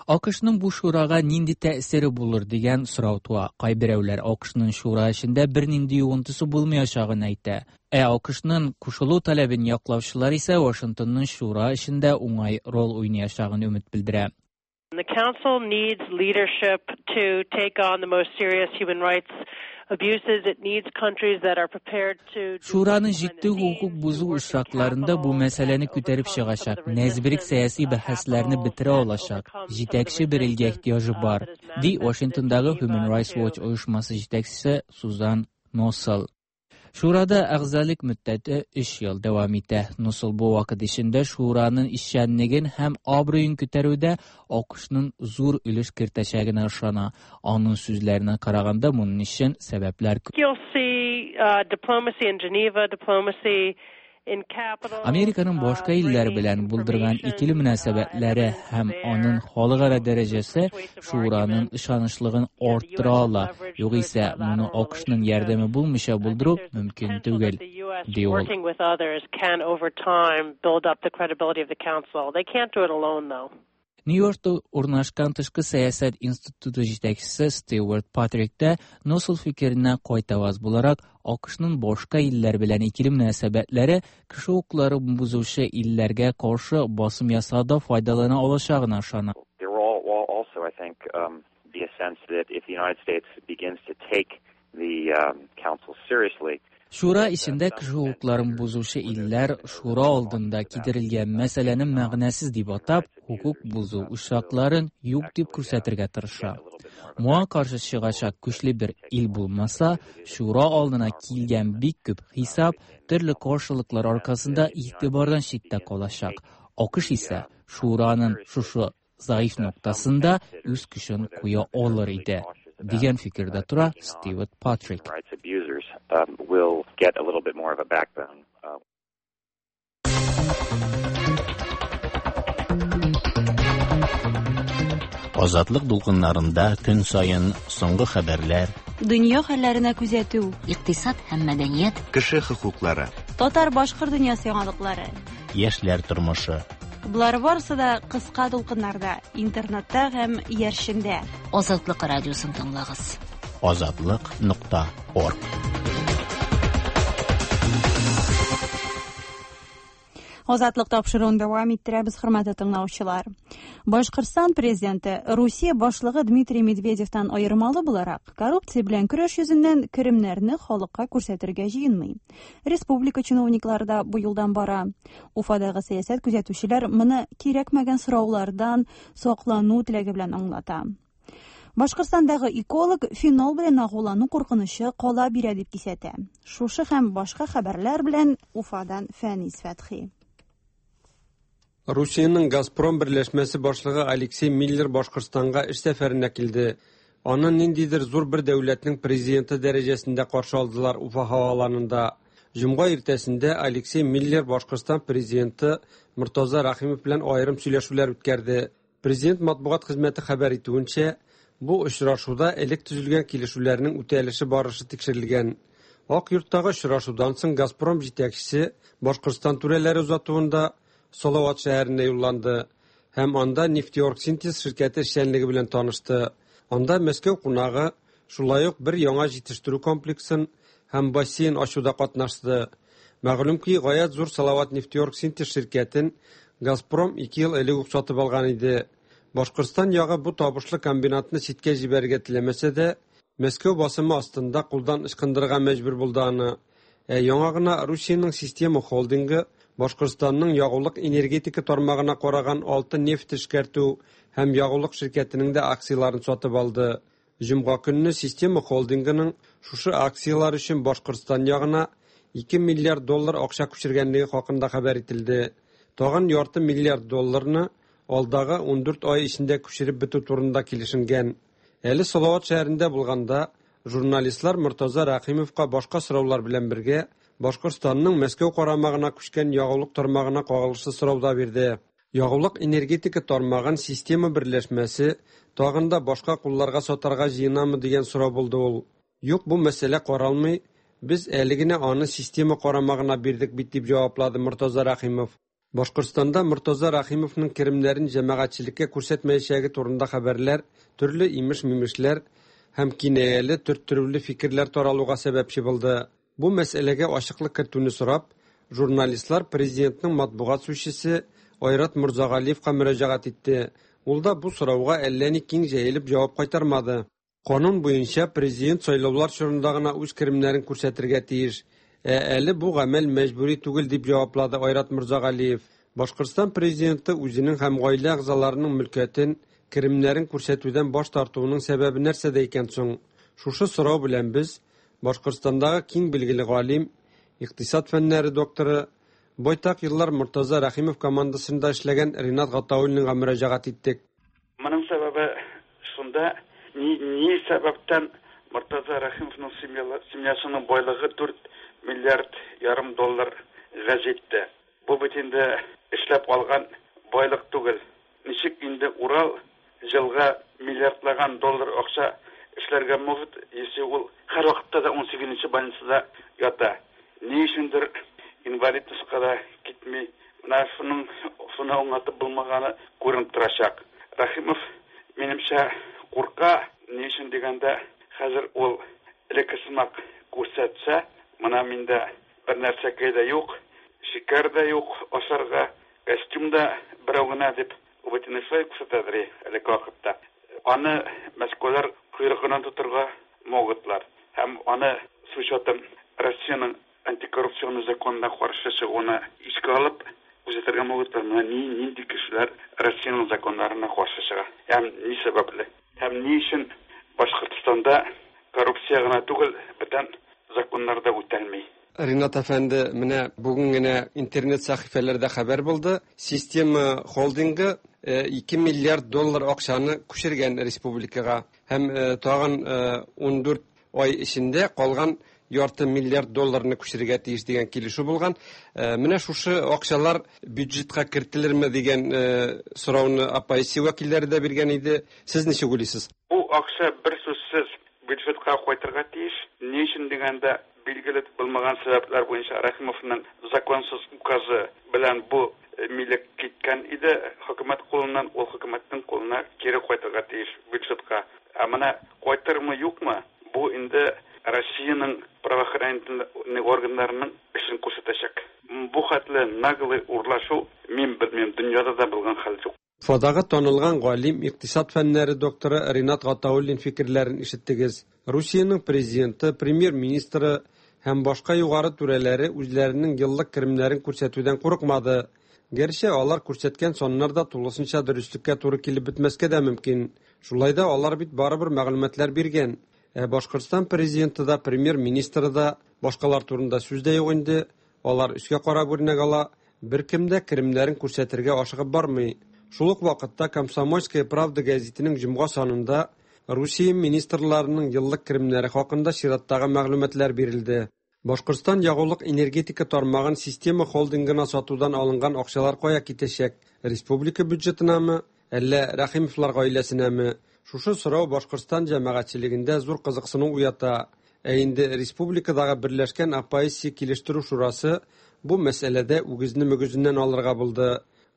А К Шның бу шурага нинди тәэсире булыр дигән сорау туа. Кайберәүләр А К Шның шура эшендә бернинди йогынтысы булмаячагын әйтә. Ә А К Шның кушылу таләбен яклаучылар исә Вашингтонның шура эшендә уңай роль уйнаячагын өмет белдерә. The Council needs leadership to take on the most serious human rights abuses. It needs countries that are prepared to Шураның җитди хокук бозу очракларында бу мәсьәләне күтәреп чыгачак, нәзберек сәяси бәхәсләрне бетерә алачак җитәкче бер илгә ихтыяҗы бар, ди Вашингтондагы Human Rights Watch оешмасы җитәкчесе Сузан Носел. Шурада әгъзалык мөддәте өч ел дәвам итә. Носел бу вакыт эчендә шураның эшчәнлеген һәм абруен күтәрүдә А К Шның зур өлеш кертәчәгенә ышана. Аның сүзләренә караганда, моның өчен сәбәпләр күп. You'll see uh, diplomacy in Geneva, diplomacy in capitals. Американың башка илләр белән булдырган икеле мөнәсәбәтләре һәм аның халыкара дәрәҗәсе шураның ышанычлыгын арттыра ала. Югыйсә, моны А К Шның ярдәме булмыйча булдыру мөмкин түгел, ди ул. Working with others can over time build up the credibility of the Council. They can't do it alone, though. Нью-Йоркта урнашкан Тышкы сәясәт институты җитәкчесе Стюарт Патрик та Носел фикеренә кайтаваз буларак, А К Шның башка илләр белән икеле мөнәсәбәтләре кеше хокуклары бозучы илләргә каршы басым ясауда файдалана алачагына ышана. There will also, I think, um, be a sense that if the United States begins to take the um, Council seriously, Шура эчендә кеше хокукларын бозучы илләр шура алдында китерелгән мәсьәләне мәгънәсез дип атап, хокук бозу очракларын юк дип күрсәтергә тырыша. Моңа каршы чыгачак көчле бер ил булмаса, шура алдына килгән бик күп хисап төрле каршылыклар аркасында игътибардан читтә калачак. А К Ш исә шураның шушы заиф ноктасында үз көчен куя алыр иде, дигән фикердә тора Стюарт Патрик. Rights abusers um, will get a little bit more of a backbone. Uh, Азатлык дулкыннарында көн саен соңгы хәбәрләр, Дөнья хәлләренә күзәтү, икътисад һәм мәдәният, кеше хокуклары, татар-башкорт дөньясы яңалыклары. Яшьләр тормышы. Болар барысы да кыска дулкыннарда, интернетта һәм иярчендә. Азатлык радиосын тыңлагыз. Азатлык нокта орг. Азатлык тапшыруын дәвам иттерәбез, хөрмәтле тыңлаучылар. Башкортстан президенты Русия башлыгы Дмитрий Медведевтан аермалы буларак, коррупция белән көрәш йөзеннән керемнәрне халыкка күрсәтергә җыенмый. Республика чиновниклары да бу юлдан бара. Уфадагы сәясәт күзәтүчеләр моны кирәкмәгән сораулардан саклану теләге белән аңлата. Башкортстандагы эколог фенол белән агулану куркынычы кала бирә дип кисәтә. Шушы һәм башка хәбәрләр белән Уфадан Фәнис Фәтхи. Русиянең «Газпром» берләшмәсе башлыгы Алексей Миллер Башкортстанга эш сәфәренә килде. Аны ниндидер зур бер дәүләтнең президенты дәрәҗәсендә каршы алдылар Уфа һаваланында. Җомга иртәсендә Алексей Миллер Башкортстан президенты Мортаза Рәхимов белән аерым сөйләшүләр үткәрде. Президент матбугат хезмәте хәбәр итүенчә, бу очрашуда элек төзелгән килешүләрнең үтәлеше барышы тикшерелгән. Ак йорттагы очрашудан соң Газпром җитәкчесе Башкортстан түрәләре озатуында Салават шәһәренә юлланды һәм анда Нефтеоргсинтез ширкәте эшчәнлеге белән танышты. Анда Мәскәү кунагы шулай ук бер яңа җитештерү комплексын һәм бассейн ачуда катнашты. Мәгълүм ки, гаять зур Салават Нефтеоргсинтез ширкәтен Газпром ике ел элек үк сатып алган иде. Башкортстан ягы бу табышлы комбинатны читкә җибәрергә теләмәсә дә, Мәскәү басымы астында кулдан ычкындырырга мәҗбүр булды аны. Ә яңа гына Русиянең Система холдингы Башкортстанның ягулык энергетика тармагына караган алты нефть эшкәртү һәм ягулык ширкәтенең дә акцияләрен сатып алды. Җомга көнне Система холдингының шушы акцияләр өчен Башкортстан ягына ике миллиард доллар акча күчергәнлеге хакында хәбәр ителде. Тагын ярты миллиард долларны алдагы ундүрт ай эчендә күчереп бетү турында килешенгән. Әле Салават шәһәрендә булганда журналистлар Мортаза Рәхимовка башка сораулар белән бергә Башкортстанның Мәскәү карамагына күчкән ягулык тармагына кагылышлы сорау да бирде. Ягулык энергетика тармагын Система берләшмәсе тагын да башка кулларга сатарга җыенамы дигән сорау булды ул. Юк, бу мәсьәлә каралмый, без әле генә аны Система карамагына бирдек бит дип җаваплады Мортаза Рәхимов. Башкортстанда Мортаза Рәхимовның керемнәрен җәмәгатьчелеккә күрсәтмәячәге турында хәбәрләр, төрле имеш-мимешләр һәм кинаяле төрттерүле фикерләр таралуга сәбәпче булды. Бу мәсьәләгә ачыклык кертүне сорап, журналистлар президентның матбугат сүзчесе Айрат Мурзагалиевка мөрәҗәгать итте. Ул да бу сорауга әллә ни киң җәелеп җавап кайтармады. Канун буенча президент сайлаулар чорында гына үз керемнәрен күрсәтергә тиеш. Ә әле бу гамәл мәҗбүри түгел дип җаваплады Айрат Мурзагалиев. Башкортстан президенты үзенең һәм гаилә әгъзаларының мөлкәтен, керемнәрен күрсәтүдән баш тартуының сәбәбе нәрсәдә икән соң? Шушы сорау белән без Башкортстандагы киң билгеле галим, икътисад фәннәре докторы, байтак еллар Мортаза Рәхимов командасында эшләгән Ринат Гатауллинга мөрәҗәгать иттек. Моның сәбәбе шунда, ни, ни сәбәптән Мортаза Рәхимовның семьясының байлыгы дүрт миллиард ярым долларга җитте. Бу бит инде эшләп алган байлык түгел. Ничек инде Урал җылга миллиардлаган доллар акча эшләргә могут, если ул һәр вакытта да ун сигезенче больницада ята. Ни өчендер инвалидностька да китми. Менә шуның шуны аңлатып булмаганы күренеп торачак. Рәхимов, минемчә, курка. Ни өчен дигәндә, хәзер ул элекке сымак күрсәтсә, менә миндә бер нәрсәкәй дә юк, шикәр дә юк ашарга, костюм да берәү генә дип бөтен шулай күрсәтәдер элекке вакытта. Аны Мәскәүләр койрыгыннан тотырга могутлар. Һәм аны с учетом Россиянең антикоррупционный законына каршы чыгуны искә алып күрсәтергә могутлар. Менә ни нинди кешеләр Россиянең законнарына каршы чыга. Һәм ни сәбәпле? Һәм ни өчен Башкортстанда коррупция гына түгел, бүтән законнар да үтәлми? Ринат әфәнде, менә бүген генә интернет сәхифәләрдә хәбәр булды. Система холдингы ике миллиард доллар акчаны күчергән республикага һәм тагын ундүрт ай эчендә калган ярты миллиард долларны күчерергә тиеш дигән килешү булган. Менә шушы акчалар бюджетка кертелерме дигән сорауны оппозиция вәкилләре дә биргән иде. Сез ничек уйлыйсыз? Бу акча бер сүзсез бюджетка кайтырга тиеш. Ни өчен дигәндә, билгеле булмаган сәбәпләр буенча Рәхимовның законсыз указы белән бу милек киткән иде хөкүмәт кулыннан, ул хөкүмәтнең кулына кире кайтырга тиеш бюджетка. Ә менә кайтырмы юкмы, бу инде Россиянең правоохранительный органнарының эшен күрсәтәчәк. Бу хәтле наглый урлашу мин белмим, дөньяда да булган хәл юк. Уфадагы танылган галим, икътисад фәннәре докторы Ринат Гатауллин фикерләрен ишеттегез. Русиянең президенты, премьер-министры һәм башка югары түрәләре үзләренең еллык керемнәрен күрсәтүдән курыкмады. Гәрчә алар күрсәткән саннар да тулысынча дөреслеккә туры килеп бетмәскә дә мөмкин. Шулай да алар бит барыбер мәгълүматлар биргән. Ә Башкортстан президенты да, премьер-министры да, башкалар турында сүз дә юк инде. Алар өскә карап үрнәк ала, беркем дә керемнәрен күрсәтергә ашыгып бармый. Шул ук вакытта Комсомольская правда гәзитенең җомга санында Русия министрларының еллык керемнәре хакында чираттагы мәгълүматлар бирелде. Башкортстан ягулык энергетика тармагын система холдингына сатудан алынган акчалар кая китәчәк? Республика бюджетынамы, әллә Рәхимовлар гаиләсенәме? Шушы сорау Башкортстан җәмәгатьчелегендә зур кызыксыну уята. Ә инде республикадагы Берләшкән оппозиция килештерү шурасы бу мәсьәләдә үгезне мөгезеннән алырга булды.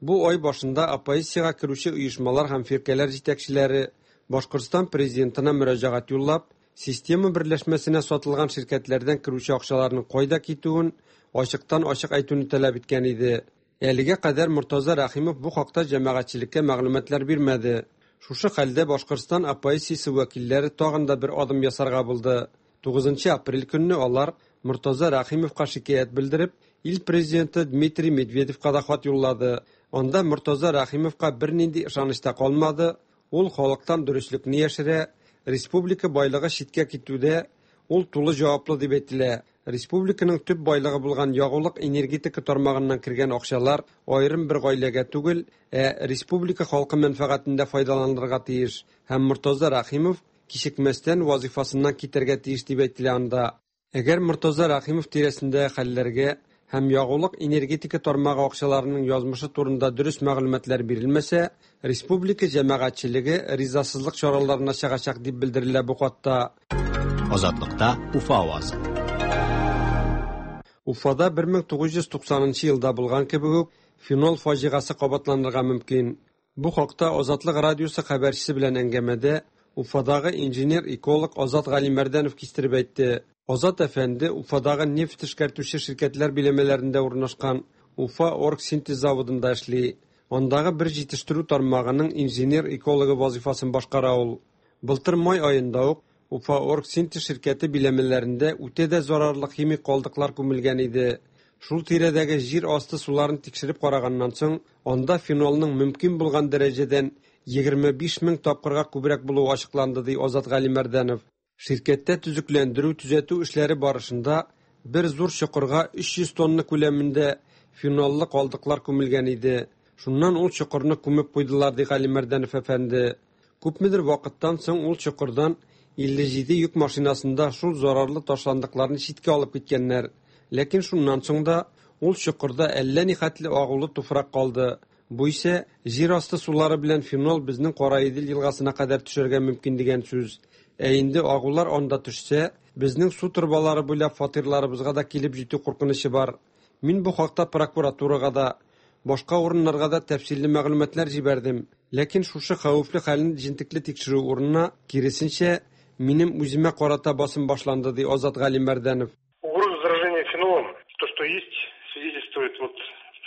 Бу ай башында оппозициягә керүче оешмалар һәм фиркәләр җитәкчеләре Башкортстан президентына мөрәҗәгать юллап, система берләшмәсенә сатылган ширкәтләрдән керүче акчаларның кайда китүен ачыктан-ачык әйтүне таләп иткән иде. Әлегә кадәр Мортаза Рәхимов бу хакта җәмәгатьчелеккә мәгълүматлар бирмәде. Шушы хәлдә Башкортстан оппозициясе вәкилләре тагын да бер адым ясарга булды. тугызынчы апрель көнне алар Мортаза Рәхимовка шикаять белдереп, ил президенты Дмитрий Медведевка да хат юллады. Анда Мортаза Рәхимовка бернинди ышаныч та калмады. Ул халыктан дөреслекне яшерә, республика байлыгы читкә китүдә ул тулы җаваплы дип әйтелә. Республиканың төп байлыгы булган ягулык энергетика тармагыннан кергән акчалар аерым бер гаиләгә түгел, ә республика халкы мәнфәгатендә файдаланылырга тиеш. Һәм Мортаза Рәхимов кичекмәстән вазифасыннан китәргә тиеш дип әйтелә анда. Әгәр Мортаза Рәхимов тирәсендә хәлләргә һәм ягулык энергетика тармагы акчаларының язмышы турында дөрес мәгълүматлар бирелмәсә, республика җәмәгатьчелеге ризасызлык чараларына чыгачак дип белдерелә бу хатта. Азатлыкта Уфа авазы. Уфада бер мең тугыз йөз туксанынчы елда булган кебек үк фенол фаҗигасе кабатланырга мөмкин. Бу хакта Азатлык радиосы хәбәрчесе белән әңгәмәдә Уфадагы инженер-эколог Азат Галимәрдәнов кистереп әйтте. Азат әфәнде Уфадагы нефть эшкәртүче ширкәтләр биләмәләрендә урнашкан Уфа оргсинтез заводында эшли. Андагы бер җитештерү тармагының инженер-экологы вазифасын башкара ул. Былтыр май аенда ук Уфа оргсинтез ширкәте биләмәләрендә үтә дә зарарлы химик калдыклар күмелгән иде. Шул тирәдәге җир асты суларын тикшереп караганнан соң, анда фенолның мөмкин булган дәрәҗәдән егерме биш мең тапкырга күбрәк булуы ачыкланды, ди Азат Галимәрдәнов. Ширкәттә төзекләндерү, төзәтү эшләре барышында бер зур чокырга өч йөз тонна күләмендә феноллы калдыклар күмелгән иде. Шуннан ул чокырны күмеп куйдылар, ди Галимәрдәнов әфәнде. Күпмедер вакыттан соң ул чокырдан илле җиде йөк машинасында шул зарарлы ташландыкларны читкә алып киткәннәр. Ләкин шуннан соң да ул чокырда әллә ни хәтле агулы туфрак калды. Бу исә җир асты сулары белән фенол безнең Караидел елгасына кадәр төшәргә мөмкин дигән сүз. Ә инде агулар анда төшсә, безнең су торбалары буйлап фатирларыбызга да килеп җитү куркынычы бар. Мин бу хакта прокуратурага да, башка урыннарга да тәфсилле мәгълүматлар җибәрдем. Ләкин шушы хәвефле хәлне җентекле тикшерү урынына, киресенчә, минем үземә карата басым башланды, ди Азат Галимәрдәнов. Угроза заражения фенолом, то, что есть, свидетельствует вот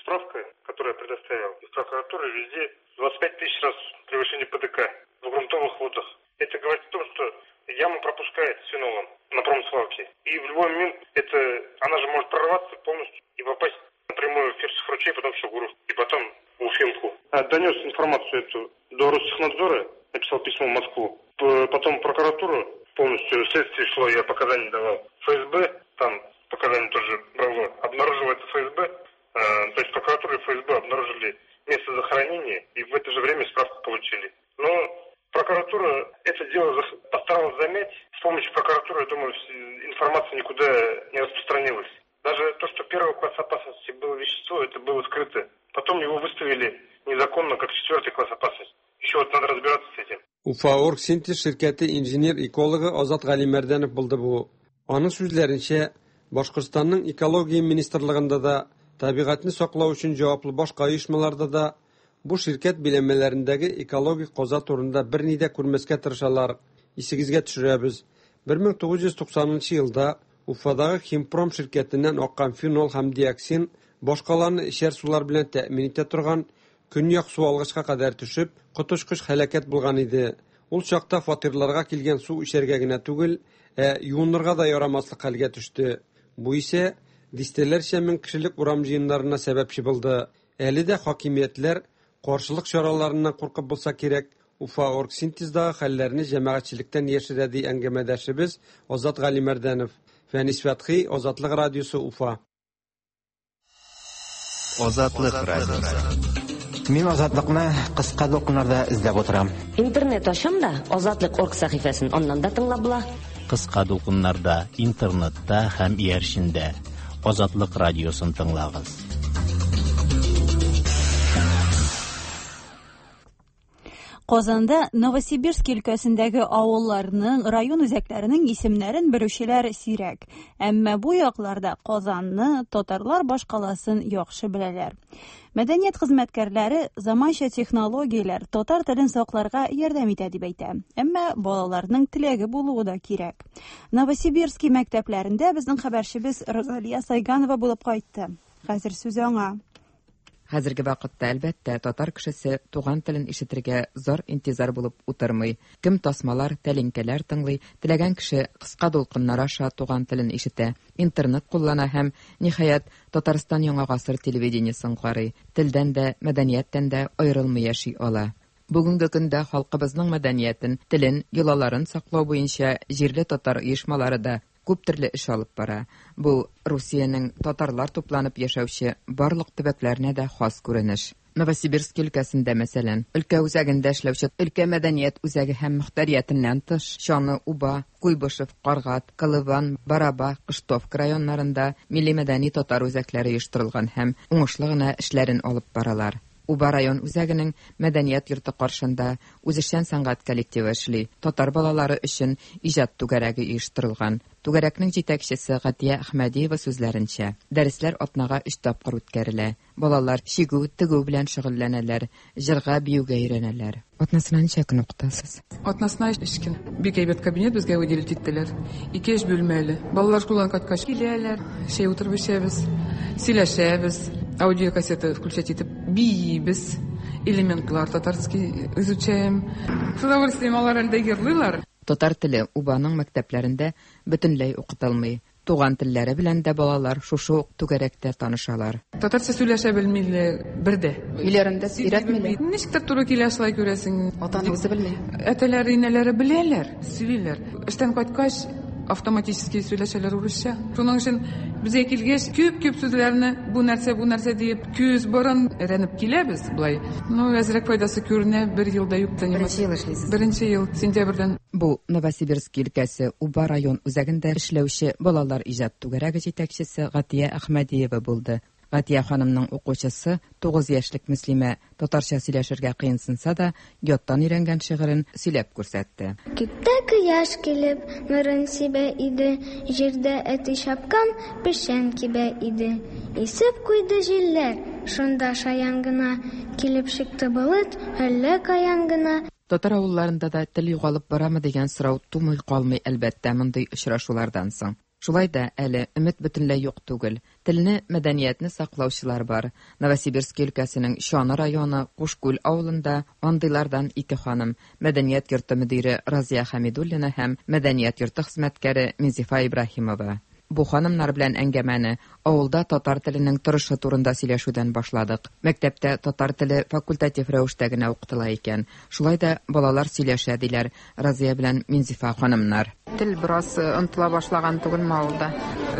справка, которую я предоставил из прокуратуры, везде двадцать пять тысяч раз превышение ПДК в грунтовых водах. Это говорит о том, что яма пропускает с фенолом на промсвалке. И в любой момент это, она же может прорваться полностью и попасть напрямую в Фирсов ручей, потом в Шугуров, и потом в Уфимку. Донес информацию эту до Ростехнадзора, написал письмо в Москву. Потом прокуратуру полностью, следствие шло, я показания давал. ФСБ, там показания тоже брало. Обнаружила это ФСБ, то есть прокуратура и ФСБ обнаружили место захоронения и в это же время справку получили. Но прокуратура это дело постаралась замять. С помощью прокуратуры, я думаю, информация никуда не распространилась. Даже то, что первого класса опасности было вещество, это было скрыто. Потом его выставили незаконно, как четвертый класс опасности. Еще вот надо разбираться с этим. Уфа оргсинтез ширкәте инженер-экологы Азат Галимәрдәнов булды бу. Аның сүзләренчә, Башкортстанның экология министрлыгында да, табигатьне саклау өчен җаваплы башка оешмаларда да бу ширкәт биләмәләрендәге экологик каза турында берни дә күрмәскә тырышалар. Исегезгә төшерәбез. бер мең тугыз йөз туксанынчы елда Уфадагы Химпром ширкәтеннән аккан фенол һәм диоксин башкаларны эчәр сулар белән тәэмин итә торган көньяк су алгычка кадәр төшеп, коточкыч һәлакәт булган иде. Ул чакта фатирларга килгән су эчәргә генә түгел, ә юынырга да ярамаслык хәлгә төште. Бу исә дистәләрчә мең кешелек урам җыеннарына сәбәпче булды. Әле дә хакимиятләр каршылык чараларыннан куркып булса кирәк, Уфа оргсинтездагы хәлләрне җәмәгатьчелектән яшерә, ди әңгәмәдәшебез Азат Галимәрдәнов. Фәнис Фәтхи, Азатлык радиосы, Уфа. Азатлык радиосы. Мин Азатлыкны кыска дулкыннарда эзләп утырам. Интернет ачам да, Азатлык орг сәхифәсен аннан да тыңлап була. Кыска дулкыннарда, интернетта һәм иярчендә. Азатлык радиосын тыңлагыз. Казанда Новосибирск өлкәсендәге авылларның, район үзәкләренең исемнәрен белүчеләр сирәк. Әмма бу якларда Казанны, татарлар башкаласын яхшы беләләр. Мәдәният хезмәткәрләре заманча технологияләр татар телен сакларга ярдәм итә дип әйтә. Әмма балаларның теләге булуы да кирәк. Новосибирский мәктәпләрендә безнең хәбәрчебез Розалия Сайганова булып кайтты. Хәзер сүз аңа. Хәзерге вакытта, әлбәттә, татар кешесе туган телен ишетергә зор интизар булып утырмый. Кем тасмалар, тәлинкәләр тыңлый, теләгән кеше кыска дулкыннар аша туган телен ишетә, интернет куллана һәм, ниһаять, Татарстан Яңа гасыр телевидениесен карый. Телдән дә, мәдәнияттән дә аерылмый яши ала. Бүгенге көндә халкыбызның мәдәниятен, телен, йолаларын саклау буенча җирле татар оешмалары да күп төрле эш алып бара. Бу Русиянең татарлар тупланып яшәүче барлык төбәкләренә дә хас күренеш. Новосибирск өлкәсендә, мәсәлән, өлкә үзәгендә эшләүче өлкә мәдәният үзәге һәм мөхтәриятеннән тыш Чаны, Уба, Куйбышев, Каргат, Колыван, Бараба, Кыштовка районнарында милли мәдәни татар үзәкләре оештырылган һәм уңышлы гына эшләрен алып баралар. Уба район үзәгенең мәдәният йорты каршында үзешчән сәнгать коллективы эшли. Татар балалары өчен иҗат түгәрәге оештырылган. Түгәрәкнең җитәкчесе Гатия Әхмәдиева сүзләренчә, дәресләр атнага өч тапкыр үткәрелә. Балалар чигү, тегү белән шөгыльләнәләр, җырга, биюгә өйрәнәләр. Атнасына ничә көн укытасыз? Атнасына өч көн. Бик әйбәт кабинет безгә выделить иттеләр. Ике эш бүлмәле. Балалар школадан кайткач киләләр, чәй утырып эчәбез, сөйләшәбез, аудиокассета включать итеп биибез, элементлар татарский изучаем. С удовольствием алар әлдә йырлыйлар. Татар теле Убаның мәктәпләрендә бөтенләй укытылмый. Туган телләре белән дә балалар шушы ук түгәрәктә танышалар. Татарча сөйләшә белмиләр бер дә. Өйләрендә өйрәтмиләр. Ничектер туры килә шулай күрәсең. Ата-ана үзе белми. Әтәләре, инәләре беләләр, сөйлиләр. Эштән кайткач автоматически сөйләшәләр урысча. Шуның өчен безгә килгәч күп-күп сүзләрне бу нәрсә, бу нәрсә диеп күз борын өйрәнеп киләбез болай. Ну, әзрәк файдасы күренә, бер елда юк та. Беренче ел эшлисез. Беренче ел, сентябрьдән. Бу Новосибирск өлкәсе Уба район үзәгендә эшләүче балалар иҗат түгәрәге җитәкчесе Гатия Әхмәдиева булды. Гатия ханымның укучысы тугыз яшьлек Мөслимә татарча сөйләшергә кыенсынса да, яттан өйрәнгән шигырен сөйләп күрсәтте. Күктә кояш килеп, нурын сибә иде, җирдә әти чапкан печән кибә иде. Исеп куйды җилләр, шунда шаян гына, килеп чыкты болыт, әллә каян гына. Татар авылларында да тел югалып барамы дигән сорау тумый калмый, әлбәттә, мондый очрашулардан соң. Шулай да әле өмет бөтенләй юк түгел. Телне, мәдәниятне саклаучылар бар. Новосибирск өлкәсенең Чаны районы Кушкүл авылында андыйлардан ике ханым, мәдәният йорты мөдире Разия Хәмидуллина һәм мәдәният йорты хезмәткәре Минзифа Ибраһимова. Бу ханымнар белән әңгәмәне авылда татар теленең торышы турында сөйләшүдән башладык. Мәктәптә татар теле факультатив рәвештә генә укытыла икән. Шулай да балалар сөйләшә диләр Разия белән Минзифа ханымнар. Тел бераз онытыла башлаган түгелме авылда?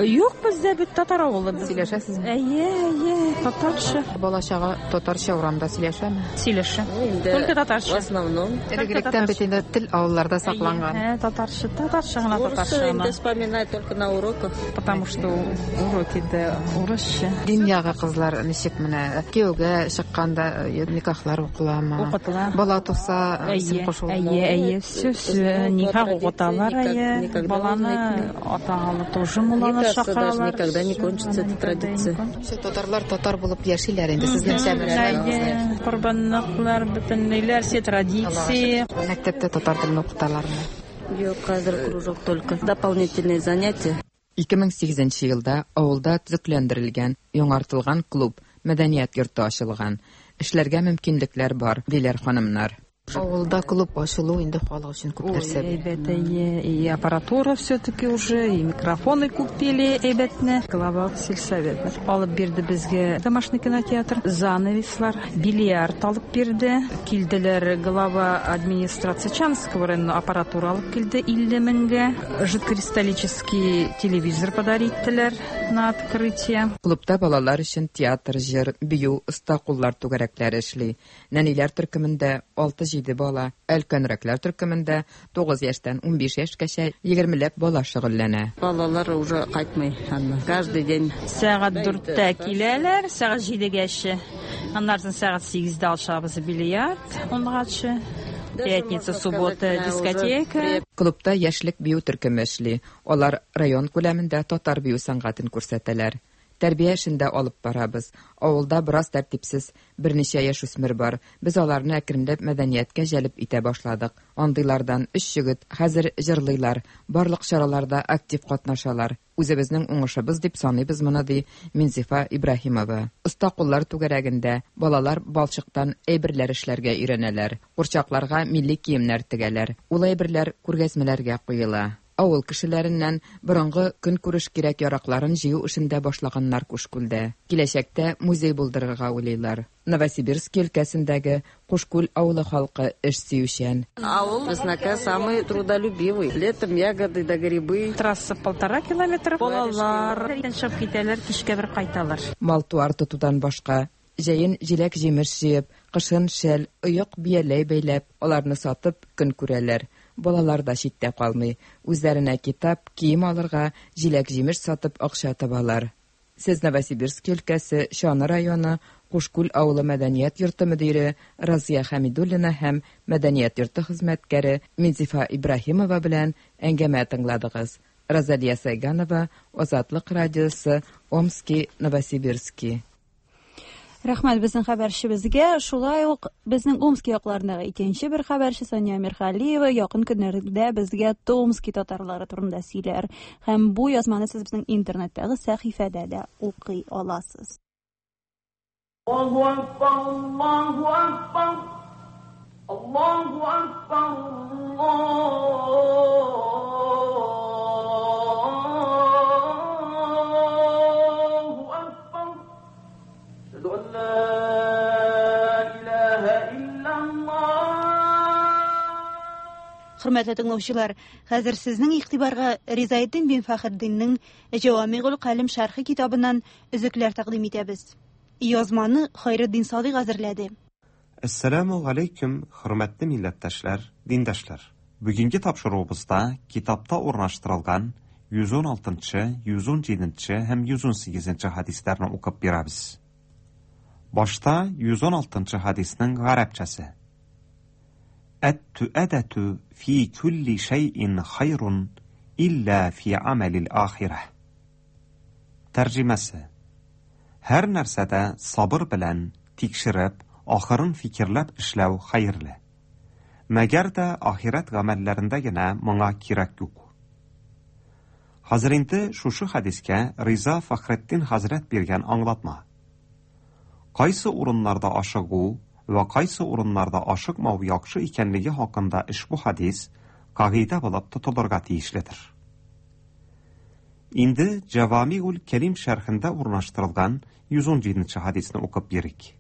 Юк, бездә бит татар авылы. Сөйләшәсезме? Әйе, әйе, татарча. Бала-чага татарча урамда сөйләшәме? Сөйләшә. Только татарча. В основном. Элек-электән бит инде тел авылларда сакланган. Ә, татарча, татарча гына, татарча гына. Вспоминать только на уроках. Потому что уроки да урысча. Дин ягы кызлар ничек менә кияүгә чыкканда никахлар укыламы? Укытыла. Бала туса исем кушыла. Әйе, әйе, все, все, никах укыталар, әйе. Баланы атагалы тоже мулланы чакыралар. Никогда не кончится эта традиция. Все татарлар татар булып яшиләр инде сезнеңчә менә. Корбанлыклар, бөтенләйләр, все традиции. Мәктәптә татар телен укыталармы? Юк, хәзер кружок только. Дополнительные занятия. ике мең сигезенче елда авылда төзекләндерелгән, яңартылган клуб, мәдәният йорты ачылган. Эшләргә мөмкинлекләр бар, диләр ханымнар. Авылда клуб ачылу инде халык өчен күп нәрсә. Әйбәт, и аппаратура все-таки уже, и микрофоны купили әйбәтне. Глава сельсовета алып бирде безгә домашний кинотеатр, занавеслар, бильярд алып бирде. Килделәр глава администрация Чанского района аппаратура алып килде илле меңгә. Жидкокристаллический телевизор подариттеләр на открытие. Клубта балалар өчен театр, җыр, бию, оста куллар түгәрәкләре эшли. Нәниләр төркемендә алты-җиде бала, өлкәнрәкләр төркемендә тугыз яшьтән унбиш яшькәчә егермеләп бала шөгыльләнә. Балалар уже кайтмый аннан. Каждый день. Сәгать дүрттә киләләр, сәгать җидегәчә. Аннан соң сәгать сигездә алышабыз бильярд, унгачы. Пятница, суббота, дискотека. Клубта яшьлек бию төркеме эшли. Алар район күләмендә татар бию сәнгатен күрсәтәләр. Тәрбия эшен дә алып барабыз. Авылда бераз тәртипсез берничә яшүсмер бар. Без аларны әкренләп мәдәнияткә җәлеп итә башладык. Андыйлардан өч егет хәзер җырлыйлар, барлык чараларда актив катнашалар. Үзебезнең уңышыбыз дип саныйбыз моны, ди Минзифа Ибраһимова. Оста куллар түгәрәгендә балалар балчыктан әйберләр эшләргә өйрәнәләр. Курчакларга милли киемнәр тегәләр. Ул әйберләр күргәзмәләргә куела. Авыл кешеләреннән борынгы көнкүреш кирәк-яракларын җыю эшен дә башлаганнар Кушкүлдә. Киләчәктә музей булдырырга уйлыйлар. Новосибирск өлкәсендәге Кушкүл авылы халкы эш сөючән. Авыл безнеке самый трудолюбивый. Летом ягоды да грибы. Трасса полтора километра. Балалар чыгып китәләр, кичкә бер кайталар. Мал-туар тотудан башка җәен җиләк-җимеш җыеп, кышын шәл, оек бияләй бәйләп, аларны сатып көн күрәләр. Балалар да читтә калмый. Үзләренә китап, кием алырга, җиләк-җимеш сатып акча табалар. Сез Новосибирск өлкәсе Чаны районы Кушкүл авылы мәдәният йорты мөдире Разия Хәмидуллина һәм мәдәният йорты хезмәткәре Минзифа Ибраһимова белән әңгәмә тыңладыгыз. Розалия Сайганова, Азатлык радиосы, Омски, Новосибирски. Рәхмәт безнең хәбәрчебезгә. Шулай ук безнең Омски якларындагы икенче бер хәбәрче Сания Мирхалиева якын көннәрдә безгә Томски татарлары турында сөйләр. Һәм бу язманы сез безнең интернеттагы сәхифәдә дә укый аласыз. Аллаһу акбар, Аллаһу акбар, Аллаһу акбар, Аллаһу акбар. Әшһәду ан ла илаһа иллаллаһ. Хөрмәтле тыңлаучылар, хәзер сезнең игътибарга Ризаэддин бин Фәхретдиннең Җавамигул Калим шәрхе китабыннан өзекләр тәкъдим итәбез. Язманы Хайретдин Садыйк әзерләде. Әссәламу алейкум, хөрмәтле милләттәшләр, диндәшләр. Бүгенге тапшыруыбызда китапта урнаштырылган йөз ун алтынчы, йөз ун җиденче һәм йөз ун сигезенче хадисләрне укып бирәбез. Башта йөз ун алтынчы хадиснең гарәпчәсе. Әт-түәдәтү фи күлли шәйин хайрун илля фи амалил ахирә. Тәрҗемәсе. Һәр нәрсәдә сабыр белән тикшереп, ахырын фикерләп эшләү хәерле. Мәгәр дә ахирәт гамәлләрендә генә моңа кирәк юк. Хәзер инде шушы хәдискә Риза Фәхретдин хәзрәт биргән аңлатма. Кайсы урыннарда ашыгу ва кайсы урыннарда ашыкмау яхшы икәнлеге хакында ошбу хәдис кагыйдә булып тотылырга тиешледер. Инде Җавамигул Кәлим шәрхендә урнаштырылган йөз ун җиденче хәдисне укып бирик.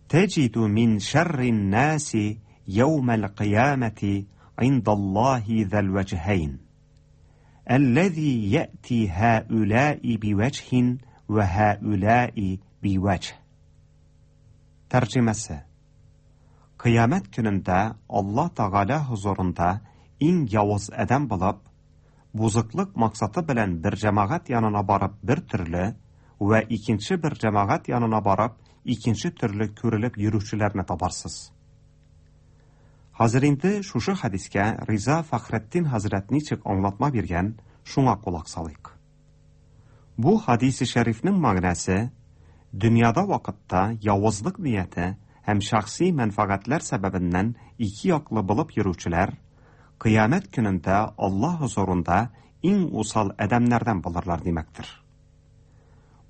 Тәҗиду мин шәррин наси яумал кыямати индаллаһи зал вәҗһәйн. Әлләзи яти һаулаи бивәҗһин ва һаулаи бивәҗһ. Тәрҗемәсе. Кыямәт көнендә Алла Тәгалә хузурында иң явыз адәм булып, бузыклык максаты белән бер җәмәгать янына барып бер төрле ва икенче бер җәмәгать янына барып икенче төрле күрелеп йөрүчеләрне табарсыз. Хәзер инде шушы хәдискә Риза Фәхретдин хәзрәт ничек аңлатма биргән, шуңа колак салыйк. Бу хадисе шәрифнең мәгънәсе дөньяда вакытта явызлык нияте һәм шәхси мәнфәгатьләр сәбәбеннән ике яклы булып йөрүчеләр кыямәт көнендә Аллаһ хузурында иң усал адәмнәрдән булырлар димәктер.